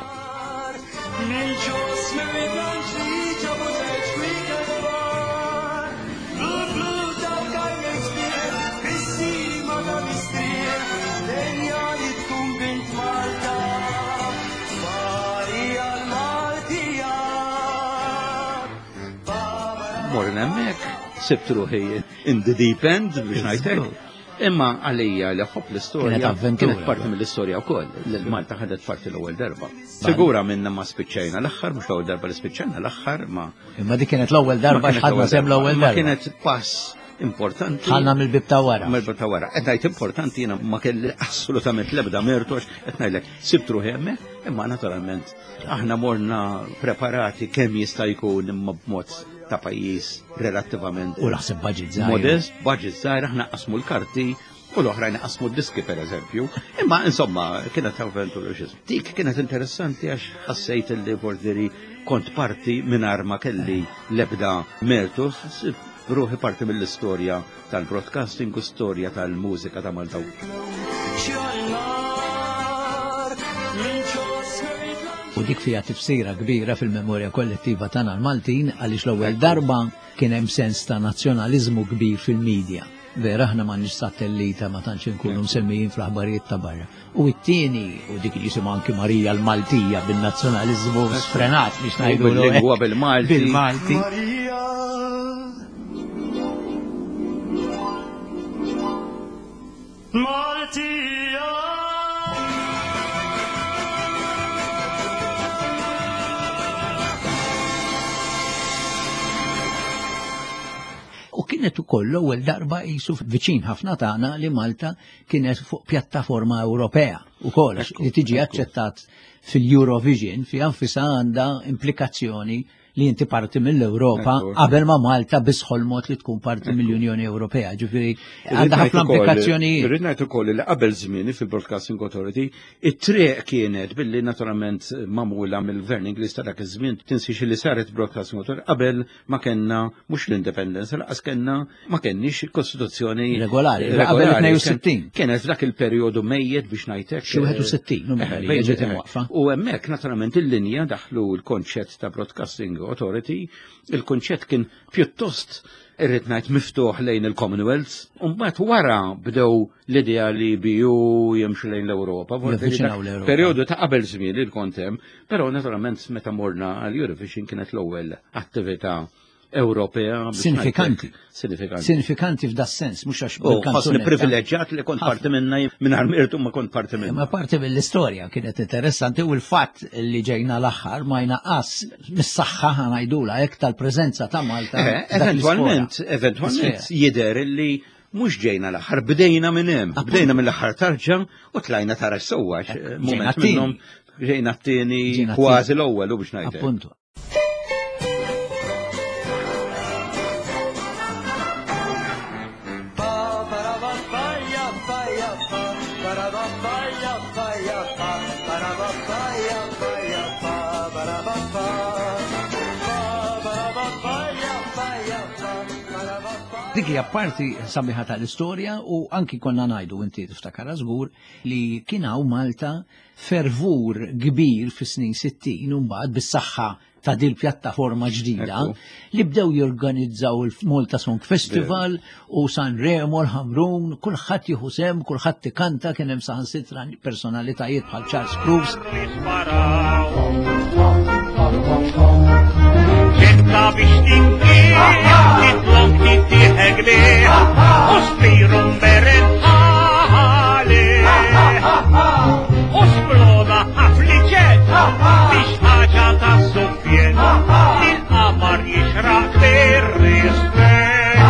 Morna hemmhekk, sibt ruħi in the deep end biex ngħidlek. Imma għalija li ħobb l-istorja. Kienet avventura. Kienet parti mill-istorja wkoll. Malta ħadet parti l-ewwel darba. Sigura minna ma spiċċajna l-aħħar, mhux l-ewwel darba li spiċċajna l-aħħar ma. Imma dik kienet l-ewwel darba x'ħadna sem l-ewwel darba. Kienet pass importanti. Ħalna mill-bib ta' wara. Mill-bib ta' wara. Qed ngħid importanti jiena ma kelli assolutament l-ebda mertu għax qed ngħidlek sibt ruħi hemmhekk, imma naturalment aħna morna preparati kemm jista' jkun imma b'mod ta' pajjiż relattivament. U naħseb budget żgħir. Modest, budget żgħir, aħna qasmu l-karti u l-oħrajn qasmu d-diski per eżempju. Imma insomma, kienet avventura xi. Dik kienet interessanti għax ħassejt li borderi kont parti mingħajr ma kelli l-ebda mertu, ruħi parti mill-istorja tal-broadcasting u storja tal-mużika ta' Malta. U dik fija tifsira kbira fil-memorja kollettiva tagħna l-Maltin għaliex l-ewwel darba kien hemm sens ta' nazzjonaliżmu kbir fil-medja. Vera aħna m'għandniex satellita ma tantx inkunu msemmijin fl-aħbarijiet ta' barra. U t-tieni, u dik jisimha anki Marija l-Maltija bin-nazzjonaliżmu sfrenat biex ngħidu bil-lingwa bil-Malti. Bil-Malti. Maltija. U kienet ukoll l-ewwel darba qisu viċin ħafna tagħna li Malta kienet fuq pjattaforma Ewropea ukoll li tiġi aċċettat fil-Eurovision fi anfisha għandha implikazzjoni li inti parti mill-Ewropa qabel ma Malta biss ħolmot li tkun parti mill-Unjoni Ewropea. Ġifieri għandha ħafna implikazzjonijiet. Irrid ngħid ukoll li qabel żmieni fil-Broadcasting Authority it-triq kienet billi naturalment magħmula mill-Gvern Ingliż ta' dak iż-żmien tinsiex li saret Broadcasting Authority qabel ma kellna mhux l-indipendenza laqas kellna ma kenniex kostituzzjoni regolari. Qabel 62. Kienet f'dak il-perjodu mejjet biex ngħidlek. Xi 61 ġiet imwaqqfa. U hemmhekk naturalment il-linja daħlu l-konċett ta' Broadcasting Authority, il-konċett kien pjuttost irrid ngħid miftuħ lejn il-Commonwealth, u mbagħad wara bdew l-idea li BU jimxu lejn l-Ewropa. Perjodu ta' qabel żmien il kont hemm, però naturalment meta morna għal Eurovision kienet l-ewwel attività Ewropea. Sinifikanti. Sinifikanti. Sinifikanti f'da sens, mhux għax. Ħossni privileġġjat li kont parti minna mingħajr mirtu ma kont parti minna. Ma parti mill-istorja kienet interessanti u l-fatt li ġejna l-aħħar ma jnaqqas mis-saħħa ħanajdula hekk tal-preżenza ta' Malta. Eventwalment, eventwalment jidher li mhux ġejna l-aħħar, bdejna minn hemm, bdejna mill-aħħar tarġa u tlajna tara sewwa. Moment minnhom ġejna t-tieni kważi l-ewwel u biex ngħid. Appuntu. Dik hija parti sabiħa tal-istorja u anki konna ngħidu inti tiftakar żgur li kien hawn Malta fervur kbir fis-snin 60 u mbagħad bis-saħħa ta' dil pjattaforma ġdida li bdew jorganizzaw il-Malta Song Festival u Sanremo, l-Ħamrun, kulħadd jieħu sem, kulħadd ikanta, kien hemm saħansitra personalitajiet bħal Charles Cruz. Ġetta biex tinkieh, titlok tittieħek bih, u spiru mberen ħali. U sploda ħafliċet, biex ħaġa ta' suffjet, il-qamar jixraq bir-rispett.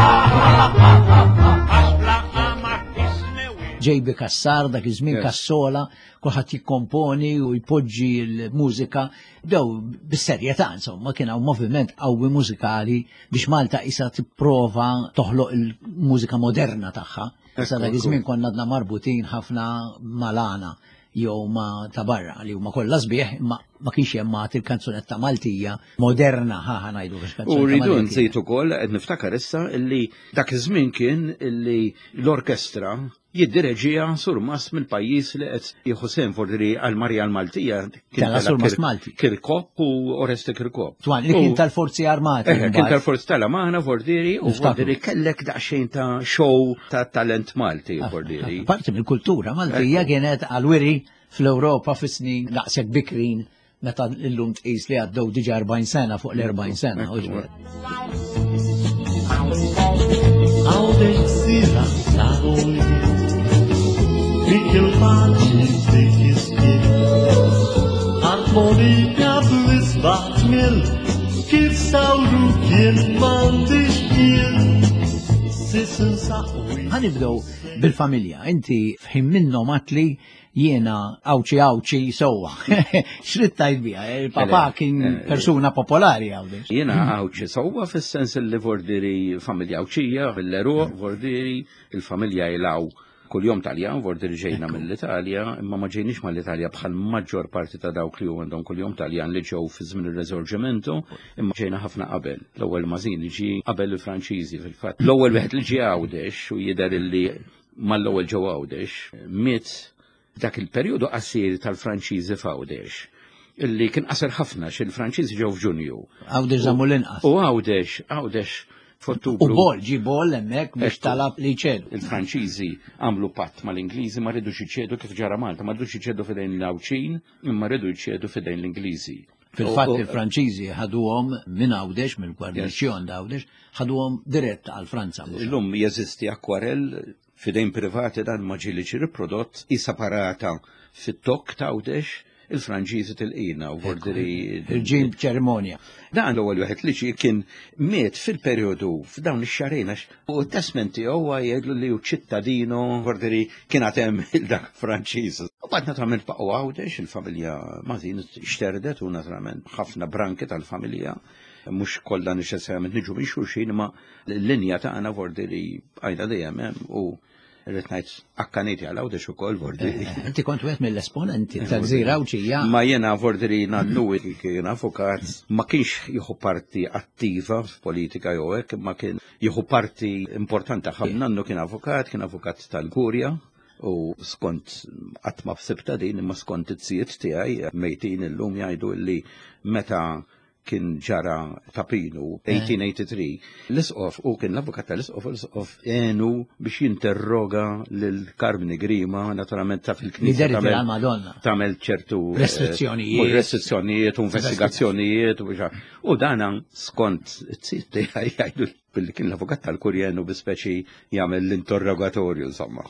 Għax bla qamar tisnewi. J.B. Cassar, dak iż-żmien Cassola, kulħadd jikkomponi u jpoġġi l-mużika. Bdew bis-serjetà insomma kien hawn moviment qawwi mużikali biex Malta isa tipprova toħloq il-mużika moderna tagħha. Issa dak iż-żmien konna għadna marbutin ħafna malana jew ma ta' barra li huma kollha sbieħ imma ma kienx hemm għad il-kanzunetta Maltija moderna ħa ħa ngħidu biex kanzunetta. U rridu nżid ukoll qed niftakar issa illi dak iż-żmien kien illi l-orkestra jiddireġiha surmast mill-pajjiż li qed jieħu sehem forsi għal Marija l-Maltija. Tela surmast Malti. Kirkop u Oreste Kirkop. Twan, li kien tal-Forzi Armati. Eh, kien tal-Forzi tal-Amana, Vordiri, u Vordiri kellek daqsxejn ta' show ta' talent Malti, ah, Vordiri. Ah, parti mill-kultura Maltija kienet għal-wiri fl-Ewropa fis-snin daqshekk bikrin meta illum tqis li għaddew diġà 40 sena fuq l-40 sena. Ħanibdew bil-familja. Inti f'ħin minnhom għatli jiena Għawdxi Għawdxi sewwa. X'rid tgħid biha? Il-papà kien eh, persuna popolari Għawdex. Jiena Għawdxi sewwa fis-sens li vordiri familja Għawdxija, fil-Leruq, vordiri il-familja jilaw kuljum Taljan, vordiri ġejna mill-Italja, imma ma ġejniex mal-Italja bħal maġġor parti ta' dawk li għandhom kuljum Taljan li ġew fi żmien ir-Resorgimento, imma ġejna ħafna qabel. L-ewwel Mażini ġie qabel il-Franċiżi fil-fatt. L-ewwel wieħed li ġie Għawdex u jidher illi mal-ewwel ġew Għawdex, miet dak il-perjodu qasir tal-Franċiżi f'Għawdex illi kien qasir ħafna xi l-Franċiżi ġew f'Ġunju. Għawdex żammu l-inqas. U Għawdex, Għawdex f'Ottubru. U Bol, ġi Bol hemmhekk biex talab li jċedu. Il-Franċiżi għamlu patt mal-Ingliżi ma ridux iċedu kif ġara Malta, ma ridux iċedu f'idejn l-Għawdxin, imma ridu jċedu f'idejn l-Ingliżi. Fil-fatt il-Franċiżi ħaduhom minn Għawdex, mill-gwarniċjon d'Għawdex, ħaduhom dirett għal Franza. Illum jeżisti akwarell f'idejn privati dan ma ġieli riprodott isa parata fit-tokk ta' Għawdex il-Franċiżi tilqina u vordiri. Il-ġim ċerimonja. Dan l-ewwel wieħed li ġie kien miet fil-perjodu f'dawn ix-xahrejn għax u t-testment tiegħu jgħidlu li hu ċittadino vordiri kien għad hemm il-dak Franċiż. U bad naturalment baqgħu Għawdex, il-familja Mażin xterdet u naturalment ħafna branki tal-familja mhux kollha neċessarjament niġu minn xulxin imma l-linja tagħna vordiri bqajna dejjem hemm u Irrid ngħid akkaniti għal Għawdex ukoll vordiri. Eh, inti kont wieħed mill-esponenti tal-gżira Għawdxija. Ma jiena vordiri nannu kien avukat ma kienx jieħu parti attiva f'politika jew hekk, ma kien jieħu parti importanti ħafna. Nannu kien avukat, kien avukat tal-Kurja u skont qatt ma fsibta din imma skont it-sijiet tiegħi mejtin illum jgħidu li meta kien ġara ta' Pinu, 1883, eh. l-isqof u kien l-avukat tal-isqof, l-isqof għenu biex jinterroga lil Karmni Grima, naturalment ta' fil-knisja. Tagħmel ċertu eh, restrizzjonijiet. Restrizzjonijiet, investigazzjonijiet, u dana skont it-sit tiegħi jgħidu billi kien l-avukat tal-kurjenu bi speċi jagħmel l-interrogatorju insomma.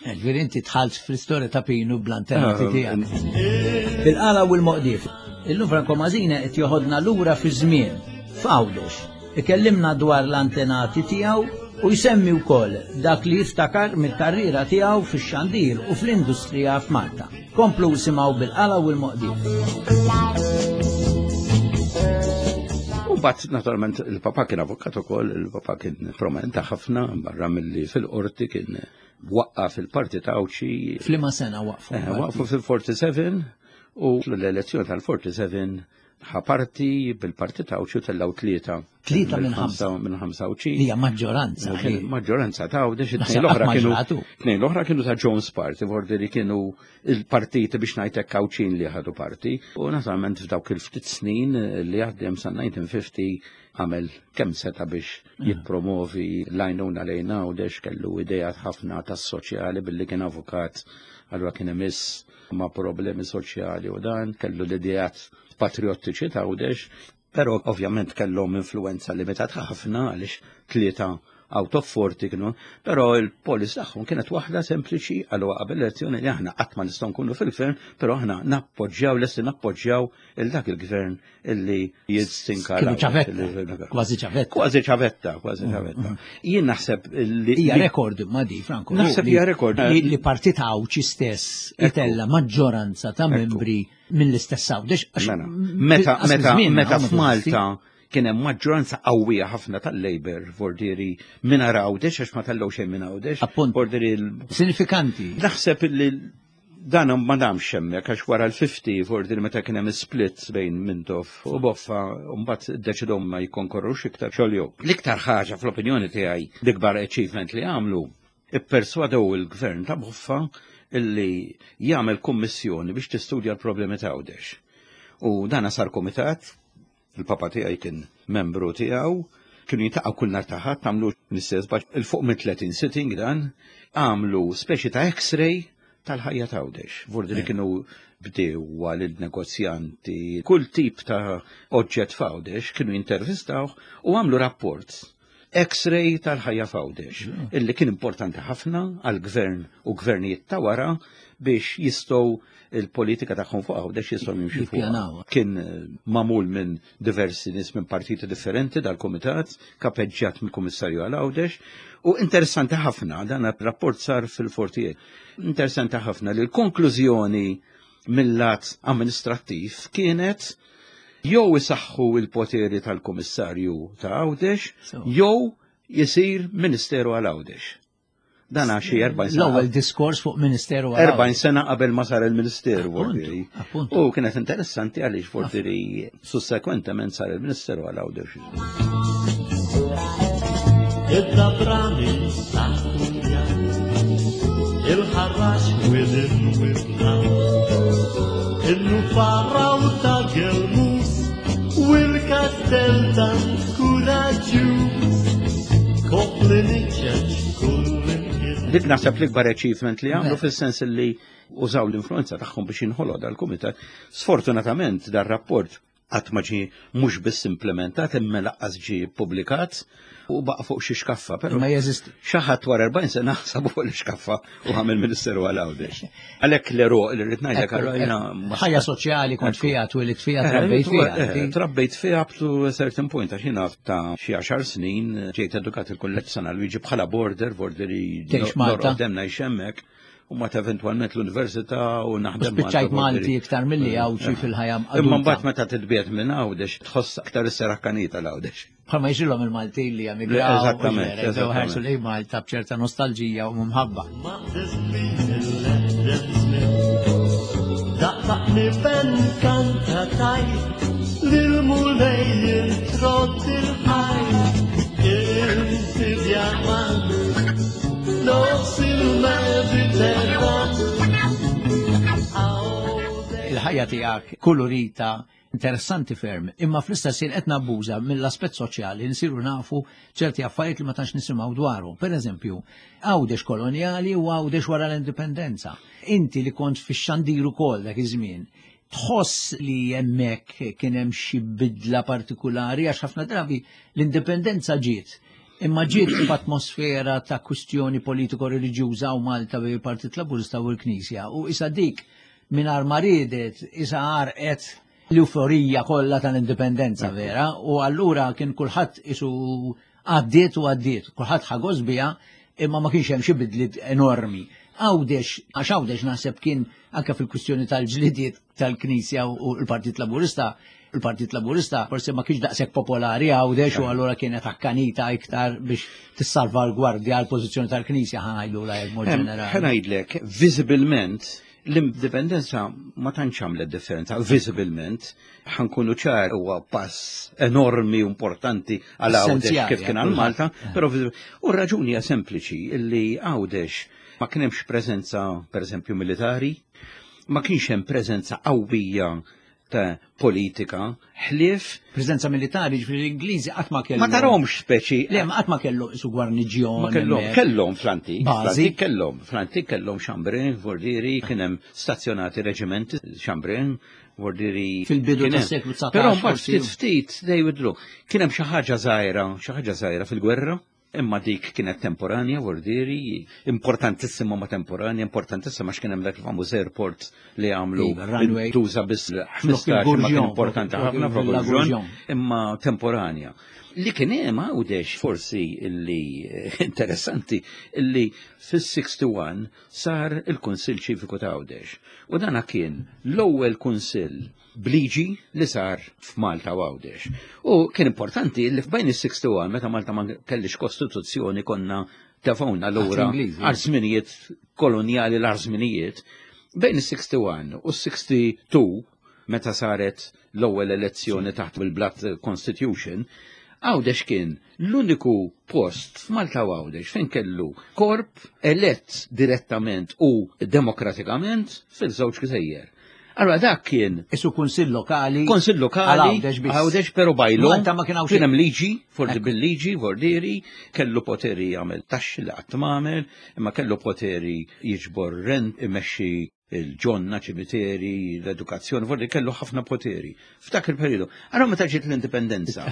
Eh, ġifieri inti tħalt fl-istorja ta' Pinu bl-antenna eh, tiegħek. Fil-qala u l-moqdif. Illum Franco Mażina qed joħodna lura fi żmien f'Għawdex. Ikellimna dwar l-antenati tiegħu u jsemmi wkoll dak li jiftakar mill-karriera tiegħu fix-xandir u fl-industrija f'Malta. Komplu simgħu bil-qala u l-moqdif. U bat naturalment il-papa kien avukat ukoll, il-papa kien promenta ħafna barra milli fil-qorti kien waqqaf il-parti ta' Għawdxi. F'liema sena waqfu? Eh, waqfu fil-47 u l-elezzjoni tal-47 ħa parti bil-parti ta' Għawdxi u tellgħu tlieta. Tlieta minn ħamsa. Minn ħamsa Għawdxi. Hija maġġoranza. Maġġoranza ta' Għawdex, it-tnejn l-oħra kienu. Tnejn l-oħra kienu ta' Jones Party, vordi li kienu il-partiti biex ngħidlek Għawdxin li ħadu parti. U naturalment f'dawk il-ftit snin li għaddem sa' 1950 għamel kemm seta' biex jippromovi l-għajnuna lejn Għawdex, kellu idejat ħafna tas-soċjali billi kien avukat, allura kien imiss ma' problemi soċjali u dan, kellu l-ideat patriottiċi ta' Għawdex, però ovvjament kellhom influenza limitata ħafna għaliex tlieta out of 40 kienu, però il-policy tagħhom kienet waħda sempliċi għal qabel elezzjoni li aħna qatt ma nistgħu nkunu fil-gvern, però aħna nappoġġjaw lesti nappoġġjaw il dak il-gvern illi jistinka. Kienu ċavetta, kważi ċavetta. Kważi ċavetta, kważi ċavetta. Jien naħseb li. Hija rekord ma di, Franco. Naħseb hija rekord. Li partit Għawdxi stess itella maġġoranza ta' membri mill-istess Għawdex. Mela, meta meta meta f'Malta kien hemm maġġoranza qawwija ħafna tal-Labour vordieri minn Għawdex għax ma tellgħu xejn minn Għawdex. Appunt. Vordieri Sinifikanti. Naħseb li dan ma damx hemmhekk għax wara l-50 vordieri meta kien hemm split bejn Mintoff u Boffa mbagħad iddeċidew ma jikkonkorrux iktar xogħol. L-iktar ħaġa fl-opinjoni tiegħi l-ikbar achievement li għamlu ipperswadew il-gvern ta' Boffa illi jagħmel kummissjoni biex tistudja l-problemi ta' Għawdex. U dan sar komitat, il-papa tiegħi kien membru tiegħu, kienu jintaqgħu kull nhar ta' Ħadd għamlu l-istess 'il fuq minn 30 sitting dan, għamlu speċi ta' X-ray tal-ħajja ta' Għawdex. Vordi li kienu bdiewa l-negozjanti, kull tip ta' oġġett f'Għawdex kienu jintervistawh u għamlu rapport X-ray tal-ħajja f'Għawdex, illi kien importanti ħafna għal-gvern u gvernijiet ta' wara biex jistgħu il-politika tagħhom fuq Għawdex jistgħu jimxu fuq. Kien magħmul minn diversi nies minn partiti differenti dal-kumitat, kapeġġjat mill-Kummissarju għal Għawdex, u interessanti ħafna, dan rapport sar fil-48. Interessanti ħafna li l-konklużjoni mill-lat amministrattiv kienet jew isaħħu il-poteri tal-Kummissarju ta' Għawdex, jew jisir Ministeru għal Għawdex. Dan xi 40 sena. L-ewwel diskors fuq Ministeru għal 40 sena qabel ma sar il-Ministeru Vordiri. U kienet interessanti għaliex Vordiri sussekwentament sar il-Ministeru għal Għawdex. Id-dabrani sa' il-ħarrax wil-wibna il-nufara u ta' gelmus u l-kastel ta' kuraġġuż kopli niċċeċ Dik naħseb l-ikbar achievement li għamlu fis-sens li użaw l-influenza tagħhom biex jinħoloq dal-kumitat. Sfortunatament dar-rapport qatt ma ġie mhux biss implementat imma lanqas ġie publikat u baqa' fuq xi xkaffa, però Ma jeżisti. xi ħadd wara 40 sena sabu fuq l-xkaffa u għamel Ministeru għal Għawdex. Għalhekk l-eruq li rrid ngħidlek għarajna Ħajja soċjali kont fiha, twilit fiha, trabbejt fiha. Trabbejt fiha up to a certain point, għax jiena ta' xi 10 snin ġejt edukat il-kulleġġ San Luigi bħala border, borderi Tgħix Malta. Norqod hemm ngħix hemmhekk. U ma eventualment l-università u naħdem Spiċċajt Malta, Malti iktar milli Għawdxi fil-ħajja Imma adulta. mbagħad meta titbiet minn Għawdex tħoss aktar is-serakkanita l-Għawdex. Bħalma jiġrilhom il-Maltin li emigraw. Eżattament, Bdew eżattament. ħarsu lejn Malta b'ċerta nostalġija u mħabba. Ma tisbin Daqtaqni ben kanta tajt Lil-mulej introt il-ħaj Inti diamant Nofs il-Mediterran Il-ħajja tiegħek kolorita, interessanti ferm, imma fl-istess ħin qed nabbuża mill-aspett soċjali nsiru nafu ċerti affarijiet li ma tantx nisimgħu dwarhom. Per eżempju, Għawdex kolonjali u Għawdex wara l-indipendenza. Inti li kont fix-xandir ukoll dak iż-żmien, tħoss li hemmhekk kien hemm xi bidla partikulari għax ħafna drabi l-indipendenza ġiet. Imma ġiet f'atmosfera ta' kwistjoni politiko-reliġjuża u Malta bejn il-Partit Laburista u l-Knisja u isa dik mingħajr ma riedet isa għarqet l-euforija kollha tal-indipendenza vera u allura kien kulħadd isu għaddiet u għaddiet, kulħadd ħa gost biha imma ma kienx hemm xi bidliet enormi. Għawdex, għax Għawdex naħseb kien anke fil-kwistjoni tal-ġlidiet tal-Knisja u l-Partit Laburista, il-Partit Laburista forse ma kienx daqshekk popolari Għawdex u allura kienet akkanita iktar biex tissalvagwardja l-pożizzjoni tal-Knisja ħa ngħidu la mod ġenerali. Ħa ngħidlek, viżibilment l-indipendenza ma tantx għamlet differenza, viżibilment ħa nkunu ċar huwa pass enormi u importanti għal Għawdex Essenzjali, kif kien għal Malta, però u r-raġuni hija sempliċi illi Għawdex ma kien hemmx preżenza pereżempju militari, ma kienx hemm preżenza qawwija ta' politika, ħlief Preżenza militari, ġifieri l-Ingliżi qatt ma kellhom. Ma tarahomx speċi. Le, ma qatt ma kellu su gwarniġjon. Ma kellhom, hemmhekk. kellhom fl-antik, Bażi. fl-antik kellhom, fl-antik kellhom Xambrin, Vordiri, kien hemm stazzjonati reġimenti Xambrin, Vordiri. Fil-bidu kien hemm. tas-seklu 19 Però mbagħad forsi. ftit ftit they withdrew. Kien hemm xi ħaġa żgħira, xi ħaġa żgħira fil-gwerra. Imma dik kienet temporanja, vordieri, importantissima ma temporanja, importantissima għax kien hemm dak il-famuż airport li għamlu iva, runway. Tuża biss 15 ma kien importanti ħafna imma temporanja. Li kien hemm Għawdex forsi illi interessanti illi fis-61 sar il-Kunsill Ċiviku ta' Għawdex. U dana kien l-ewwel kunsill bliġi li sar f'Malta u Għawdex. U kien importanti li f'bejn is-61 meta Malta ma kellix kostituzzjoni konna tefgħuna lura għal żminijiet kolonjali l żminijiet. Bejn is-61 u s-62 meta saret l-ewwel elezzjoni taħt il-Blatt Constitution, Għawdex kien l-uniku post f'Malta u Għawdex fejn kellu korp elett direttament u demokratikament fil-żewġ gżejjer. Allora dak kien. Isu kunsill lokali. Kunsill lokali. Għawdex pero bajlu. Malta ma kien hawn Kien hemm liġi, forsi bil-liġi, vordieri, kellu poteri jagħmel taxxi li qatt m'għamel, imma kellu poteri jiġbor rent, imexxi il-ġonna, ċimiteri, l-edukazzjoni, vordi kellu ħafna poteri. F'dak il-periodu. Allora meta ġiet l-indipendenza.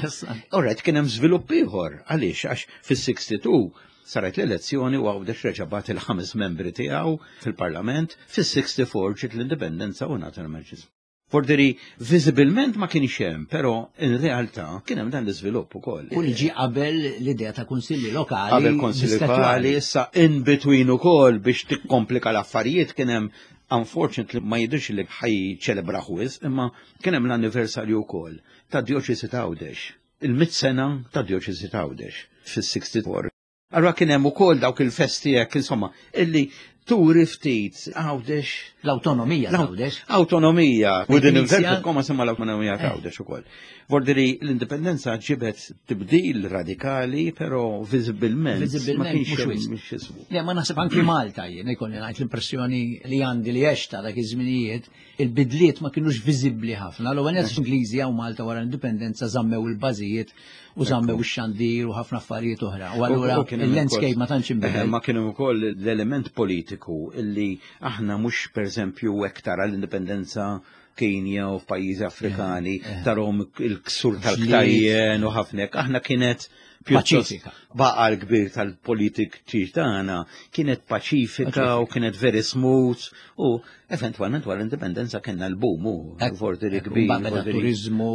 Alright, kien hemm żvilupp ieħor. Għaliex? Għax fis-62 saret l-elezzjoni u Għawdex reġa' bagħat il-ħames membri tiegħu fil-Parlament, fis-64 ġiet l-indipendenza u ngħata l-emerġenza. Forderi, viżibilment ma kienx hemm, però in realtà kien hemm dan l-iżvilupp ukoll. U li ġie qabel l-idea ta' kunsilli lokali. Qabel kunsilli lokali, issa in between ukoll biex tikkomplika l-affarijiet kien hemm unfortunately ma jidhirx li ħaj ċelebra wisq, imma kien hemm l-anniversarju wkoll ta' djoċesi ta' Għawdex. Il-mit sena ta' djoċesi ta' Għawdex fis-64. Allura kien hemm ukoll dawk il-festi hekk insomma illi turi ftit Għawdex. L-awtonomija ta' Għawdex. Awtonomija. Within inverted comma semma l-awtonomija ta' eh. Għawdex ukoll. Vordiri l-indipendenza ġibet tibdil radikali, però viżibilment. Viżibilment mhux wisq. Le ma naħseb anki Malta jien ikolli ngħid l-impressjoni li għandi li għexta dak iż-żminijiet il-bidliet ma kinux viżibbli ħafna. L-ewwel nett Ingliżi hawn Malta wara l-indipendenza żammew il-bażijiet u żammew ix-xandir u ħafna affarijiet oħra. U allura il-landscape ma tantx inbidel. Ma kien ukoll l-element politiku illi aħna mhux pereżempju hekk tara l-indipendenza Kenja u f'pajjiżi Afrikani eh, eh. tarhom il-ksur tal-ktajjen u ħafna hekk. Aħna kienet paċifika. Baqa l-kbir tal-politik tagħna kienet paċifika u kienet very smooth u eventwalment wara l-indipendenza kellna l-boom u forti li kbir. Beda turizmu,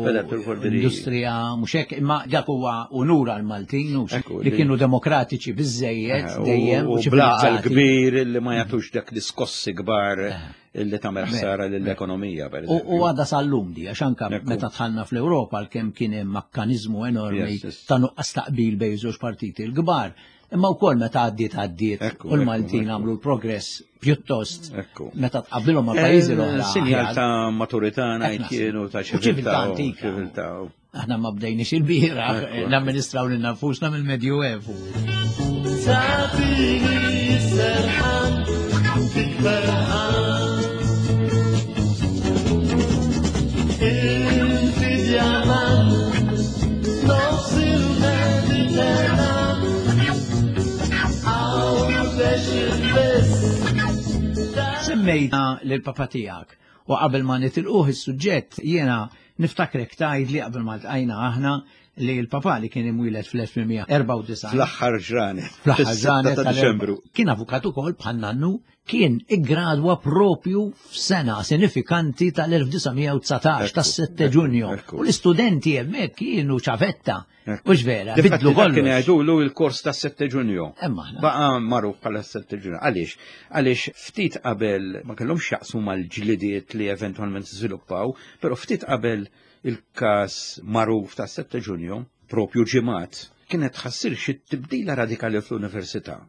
industrija, mhux hekk, imma dak huwa unur għal Maltin li kienu demokratiċi biżejjed eh, dejjem u blaqa l-kbir li ma jagħtux dak l-iskossi kbar. Eh. Illi tagħmel ħsara lill-ekonomija. U għadha sal-lum di, għax anka meta dħalna fl-Ewropa għalkemm kien hemm mekkaniżmu enormi ta' nuqqas taqbil bejn żewġ partiti l-kbar. Imma wkoll meta għaddiet għaddiet u l-Maltin għamlu l-progress pjuttost meta tqabbilhom ma' pajjiżi l-oħra. Sinjal ta' maturità ngħid kienu ta' ċiviltà antika. Aħna ma bdejniex il-bira, namministraw lil nafusna mill-Medjuevu. Tagħtini serħan, tikferħan. Inti djamant, nofs il-Mediterran, Għawdex il-biss. Semmejna lil papa tiegħek u qabel ma nitilquh is-suġġett jiena niftakrek tgħidli qabel ma ltqajna aħna li l-papa li kien imwieled fl-1894. Fl-aħħar ġranet. Fl-aħħar ġranet ta' Diċembru. Kien avukat ukoll bħal nannu kien iggradwa propju f'sena sinifikanti tal-1919 tas-7 Ġunju. U l-istudenti hemmhekk kienu ċavetta. Mhux vera, bidlu kollox. Kien jgħidulu il-kors ta' 7 Ġunju. Emma aħna. Baqa' magħruf bħala 7 Ġunju. Għaliex? Għaliex ftit qabel ma kellhomx jaqsmu mal-ġlidiet li eventwalment żviluppaw, però ftit qabel il-każ magħruf ta' 7 Ġunju, propju ġimgħat, kienet tħassir xi tibdila radikali fl-università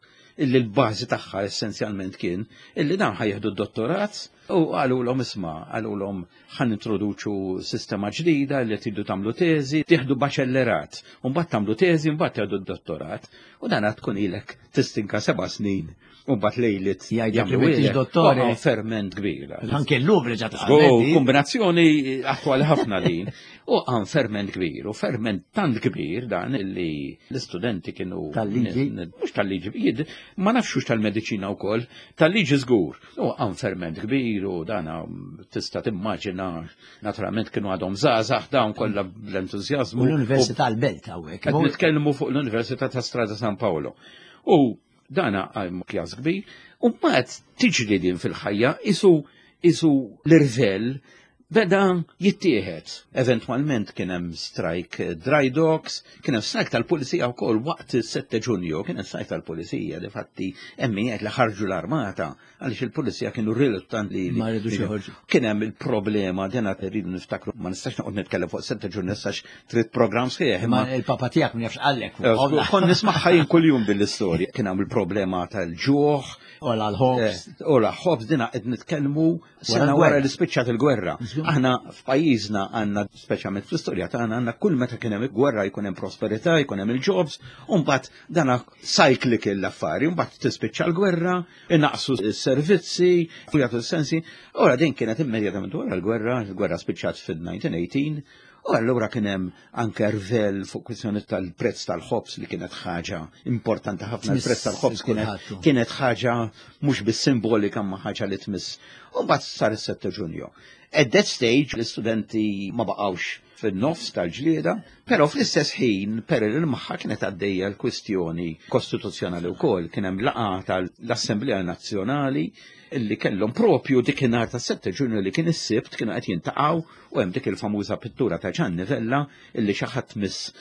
illi l-bażi tagħha essenzjalment kien illi dawn ħajjeħdu d-dottorat u qalulhom isma' qalulhom ħa nintroduċu sistema ġdida li tridu tagħmlu teżi, tieħdu baċellerat, u mbagħad tagħmlu teżi, mbagħad tieħdu d-dottorat, u dan tkun ilek tistinka seba' snin. U mbagħad lejlit Jgħidlek li m'intix dottore. Waqa' ferment kbir. Anke llum reġa' Żgur, kombinazzjoni attwali ħafna din. U għan ferment kbir, u ferment tant kbir dan li l-istudenti kienu. Tal-liġi? Mhux tal-liġi, ma nafx tal-mediċina wkoll, tal-liġi żgur. U għan ferment kbir u dan tista' timmaġina, naturalment kienu għadhom żgħażagħ dawn kollha bl-entużjażmu. U l-Università l-Belt hawnhekk. Qed nitkellmu fuq l-Università ta' Strada San Paolo. U dana għal kjas kbir, u mbagħad tiġri din fil-ħajja isu isu l-irvell beda jittieħed. Eventwalment kien hemm strike dry docks, kien hemm strike tal-pulizija wkoll waqt is-7 Ġunju, kien hemm strike tal-pulizija, difatti hemm min jgħid li ħarġu l-armata għaliex il-pulizija kienu riluttant li Ma rridux joħorġu. Kien hemm il-problema din qed irridu niftakru, ma nistax noqgħod nitkellem fuq 7 Ġunju nistax trid programm sħiħ. Imma il-papa tiegħek ma jafx qallek. Kont nismagħha jien kuljum din l-istorja. Kien hemm il-problema tal-ġuħ. Ola l-ħobż. Ola ħobż dina qed nitkellmu sena wara li spiċċat il-gwerra. Aħna f'pajjiżna għandna speċjalment fl-istorja tagħna għandna kull meta kien hemm gwerra jkun hemm prosperità, jkun hemm il-jobs, u mbagħad dana cyclical l-affari, mbagħad tispiċċa l-gwerra, inaqsu s-servizzi, u jagħtu s-sensi. Ora din kienet immedjatament wara l-gwerra, il-gwerra spiċċat fil-1918, u allura kien hemm anke rvel fuq kwistjoni tal-prezz tal-ħobż li kienet ħaġa importanti ħafna. Il-prezz tal-ħobż kienet ħaġa mhux biss simbolika ma ħaġa li tmiss. U mbagħad sar is-7 Ġunju. At that stage l-istudenti ma baqgħux fin-nofs tal-ġlieda, però fl-istess ħin perel magħha kienet għaddejja l-kwistjoni kostituzzjonali wkoll, kien hemm laqgħa tal-Assemblea Nazzjonali illi kellhom propju dikinhar tas-7 Ġunju li kien is-Sibt kienu qed jintaqgħu u hemm dik il-famuża pittura ta' Ġanni Vella illi xi ħadd miss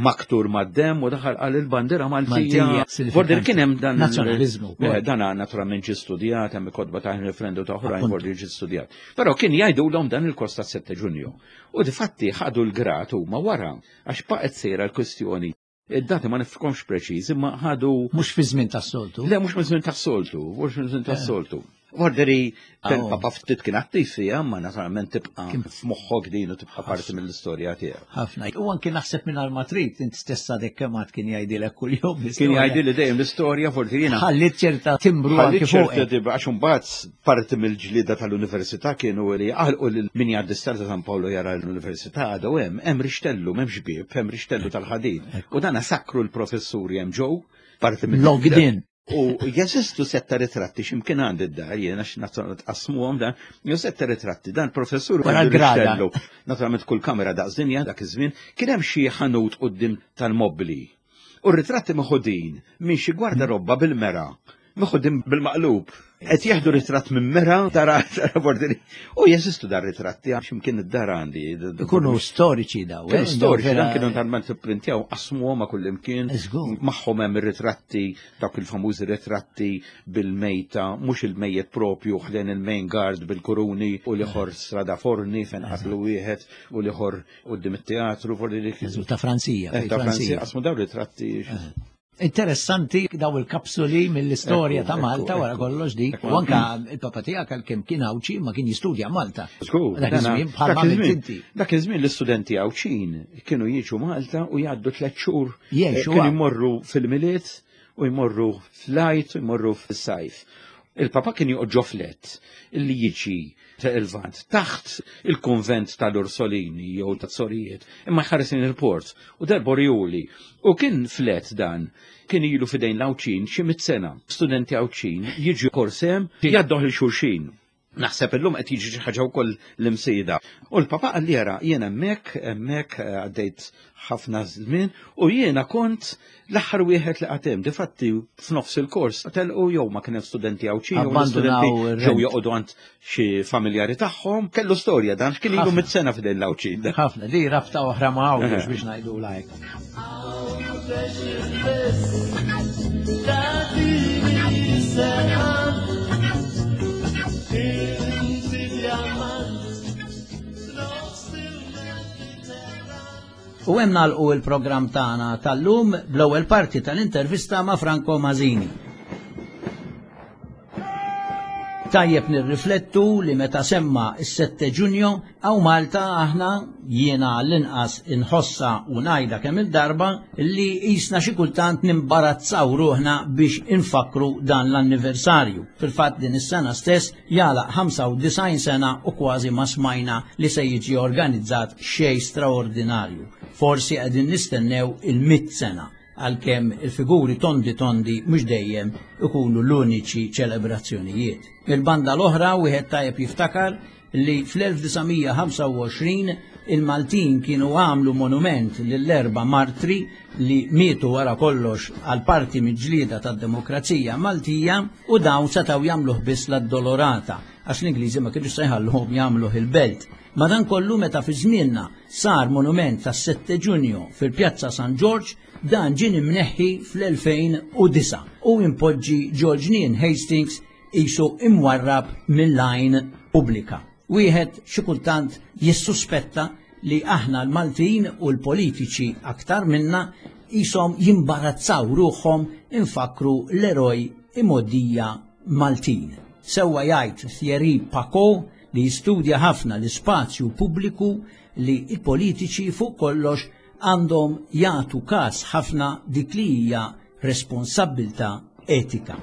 maktur mad-demm u daħal qal il-bandiera Maltija. Vordir kien hemm dan nazzjonaliżmu. Dan naturalment ġie studjat, hemm kotba ta' referendum ta' oħrajn vordir ġie studjat. Però kien jgħidulhom dan il-kost tas-7 Ġunju. U difatti ħadu l-grat huma wara għax baqgħet sejra l-kwistjoni. Id-dati ma nifkomx preċiż, imma ħadu. Mhux fi żmien tas-soltu. Le, mhux fi żmien tas-soltu, mhux fi żmien tas-soltu. Vorderi, papa ftit kien attiv fiha, ma naturalment tibqa' f'moħħok din u tibqa' parti mill-istorja tiegħu. Ħafna. U anki naħseb minn Matrid, int stessa dek kemm għad kien jgħidilek kuljum. Kien jgħidili dejjem l-istorja, forsi jiena. Ħallit ċerta timbru anki fuq. Ħallit ċerta timbru għax imbagħad parti mill-ġlieda tal-università kienu li għalqu lil min jgħaddi Strada San Paolo jara l-università għadu hemm, hemm rixtellu, m'hemmx bieb, hemm rixtellu tal-ħadid. U dana sakru l-professuri hemm ġew, parti mill Logged in. U jeżistu setta ritratti x'imkien għandi d-dar jiena x'nazzjonali tqassmuhom dan, jew setta ritratti dan professur wara l-grada. Naturalment kull kamera daqs dinja dak iż-żmien kien hemm xi ħanut quddiem tal-mobbli. U r-ritratti meħudin minn xi gwardarobba bil-mera meħudin bil-maqlub. Qed jieħdu ritratt minn mera tara bordini. U jeżistu dar ritratti għax imkien id-dar għandi. Ikunu storiċi daw. Eh? Storiċi dan kienu talment ipprintjaw qasmuhom ma' kull imkien. Magħhom hemm ir-ritratti dawk il-famużi ritratti bil-mejta, mhux il-mejjet propju ħdejn il-main guard bil-kuruni u l-ieħor strada forni fejn qatlu wieħed u l-ieħor quddiem it-teatru. Ta' Franzija. Eh, ta' Franzija qasmu daw ritratti. Eh. Interessanti daw il-kapsuli mill-istorja ta' Malta wara kollox dik. U anka il-papa tiegħek għalkemm kien Għawdxi ma kien jistudja Malta. Żgur. Dak iż-żmien bħal ma inti. Dak iż-żmien l-istudenti Għawdxin kienu jiġu Malta u jgħaddu tliet xhur. Kienu jmorru fil-Milied u jmorru fl-Għid u jmorru fis-sajf. Il-papa kien joqgħod ġo flet illi jiġi il-Lvant taħt il-kunvent tal-Ursolini jew tat-Sorijiet, imma jħares lejn il-port u darba uriehuli. U kien flet dan kien ilu fidejn l-Għawdxin xi 100 sena. Studenti Għawdxin jiġu korsem jgħadduh lil xulxin. Naħseb illum qed jiġi xi ħaġa wkoll l-Imsida. U l-papa qal li jara jien hemmhekk għaddejt ħafna żmien u jiena kont l-aħħar wieħed li qatem. Difatti f'nofs il-kors telqu jew ma kien hemm studenti Għawdxin jew studenti ġew joqogħdu għand xi familjari tagħhom. Kellu storja dan x'kien ilu 100 sena f'idejn l-Għawdxin. Ħafna, di rabta oħra ma' Għawdex biex ngħidu lajk. U hemm nagħlqu il-programm tagħna tal-lum bl-ewwel parti tal-intervista ma' Franco Masini. Tajjeb nirriflettu li meta semma s-7 Ġunju hawn Malta aħna jiena l-inqas inħossa u ngħidha kemm il-darba li qisna xi kultant nimbarazzaw ruħna biex infakkru dan l-anniversarju. Fil-fatt din is-sena stess jagħlaq 95 sena u kważi ma smajna li se jiġi organizzat xejn straordinarju. Forsi qegħdin nistennew il-100 sena, għalkemm il-figuri tondi tondi mhux dejjem ikunu l-uniċi ċelebrazzjonijiet. Il-banda l-oħra wieħed tajjeb jiftakar li fl-1925 il-Maltin kienu għamlu monument lill-erba' martri li mietu wara kollox għal parti mill-ġlieda tad-demokrazija Maltija u dawn setgħu jagħmluh biss l-Addolorata għax l-Ingliżi ma kienux se jħalluhom jagħmluh il-belt. Madankollu meta fi żmienna sar monument tas-7 Ġunju fil-Pjazza San Ġorġ, dan ġie imneħħi fl-2009 u impoġġi ġol ġnien Hastings qisu imwarrab mill-għajn pubblika. Wieħed xi kultant jissuspetta li aħna l-Maltin u l-politiċi aktar minna qishom jimbarazzaw ruħhom infakru l-eroj imgħoddija Maltin. Sewwa jgħid Thierry Paquot li jistudja ħafna l-ispazju pubbliku li l-politiċi fuq kollox għandhom jagħtu każ ħafna dik li hija responsabbiltà etika.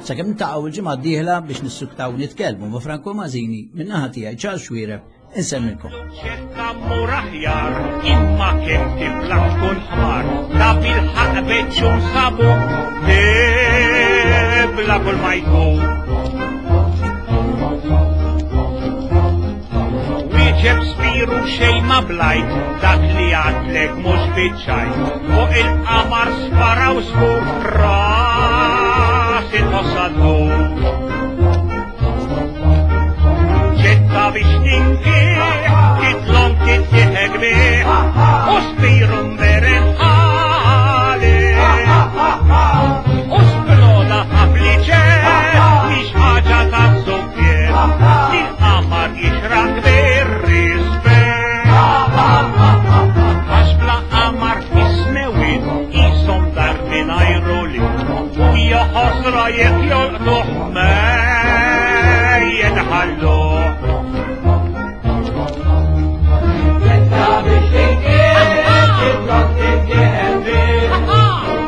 Sakemm niltaqgħu il-ġimgħa d-dieħla biex nissuktaw nitkellmu ma' Franco Masini, min-naħa tiegħi Charles Xuereb, insemmilkom. ċetta mur aħjar, imma kemm tibla tkun ħmar, ta' bil-ħaqq beċċu nsabu, tibla kull ma jkun. Wieġeb Spiru xejn ma blajt, dak li għadlek mhux biċ-ċajt, fuq il-qamar sparaw żgur ras il-ħossa ddur. Ċetta biex tinkih, titlom tittieħek bih, u Spiru mberen ħali. U sploda ħabli ċed, mhix ħaġa ta' żuffjett, li l-qamar jixraq bir-rispett. Għax bla qamar fis-smewwiet qishom dar mingħajr ulied, hija ħasra jekk jolqtuh ma jitħalluh. Ċetta biex tinkih, titlom tittieħek bih,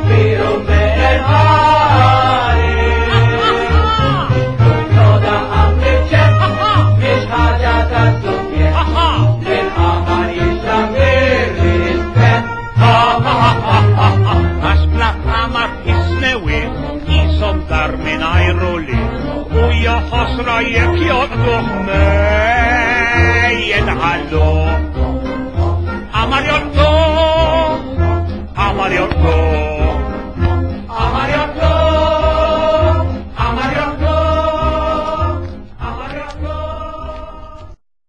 Spiru mberen ħali. Sploda ħabli ċed, mhix ħaġa ta' żuffjett, li l-qamar jixraq bir-rispett. Għax bla qamar fis-smewwiet qishom dar mingħajr ulied, u hija ħasra jekk jolqtuh ma jitħalluh.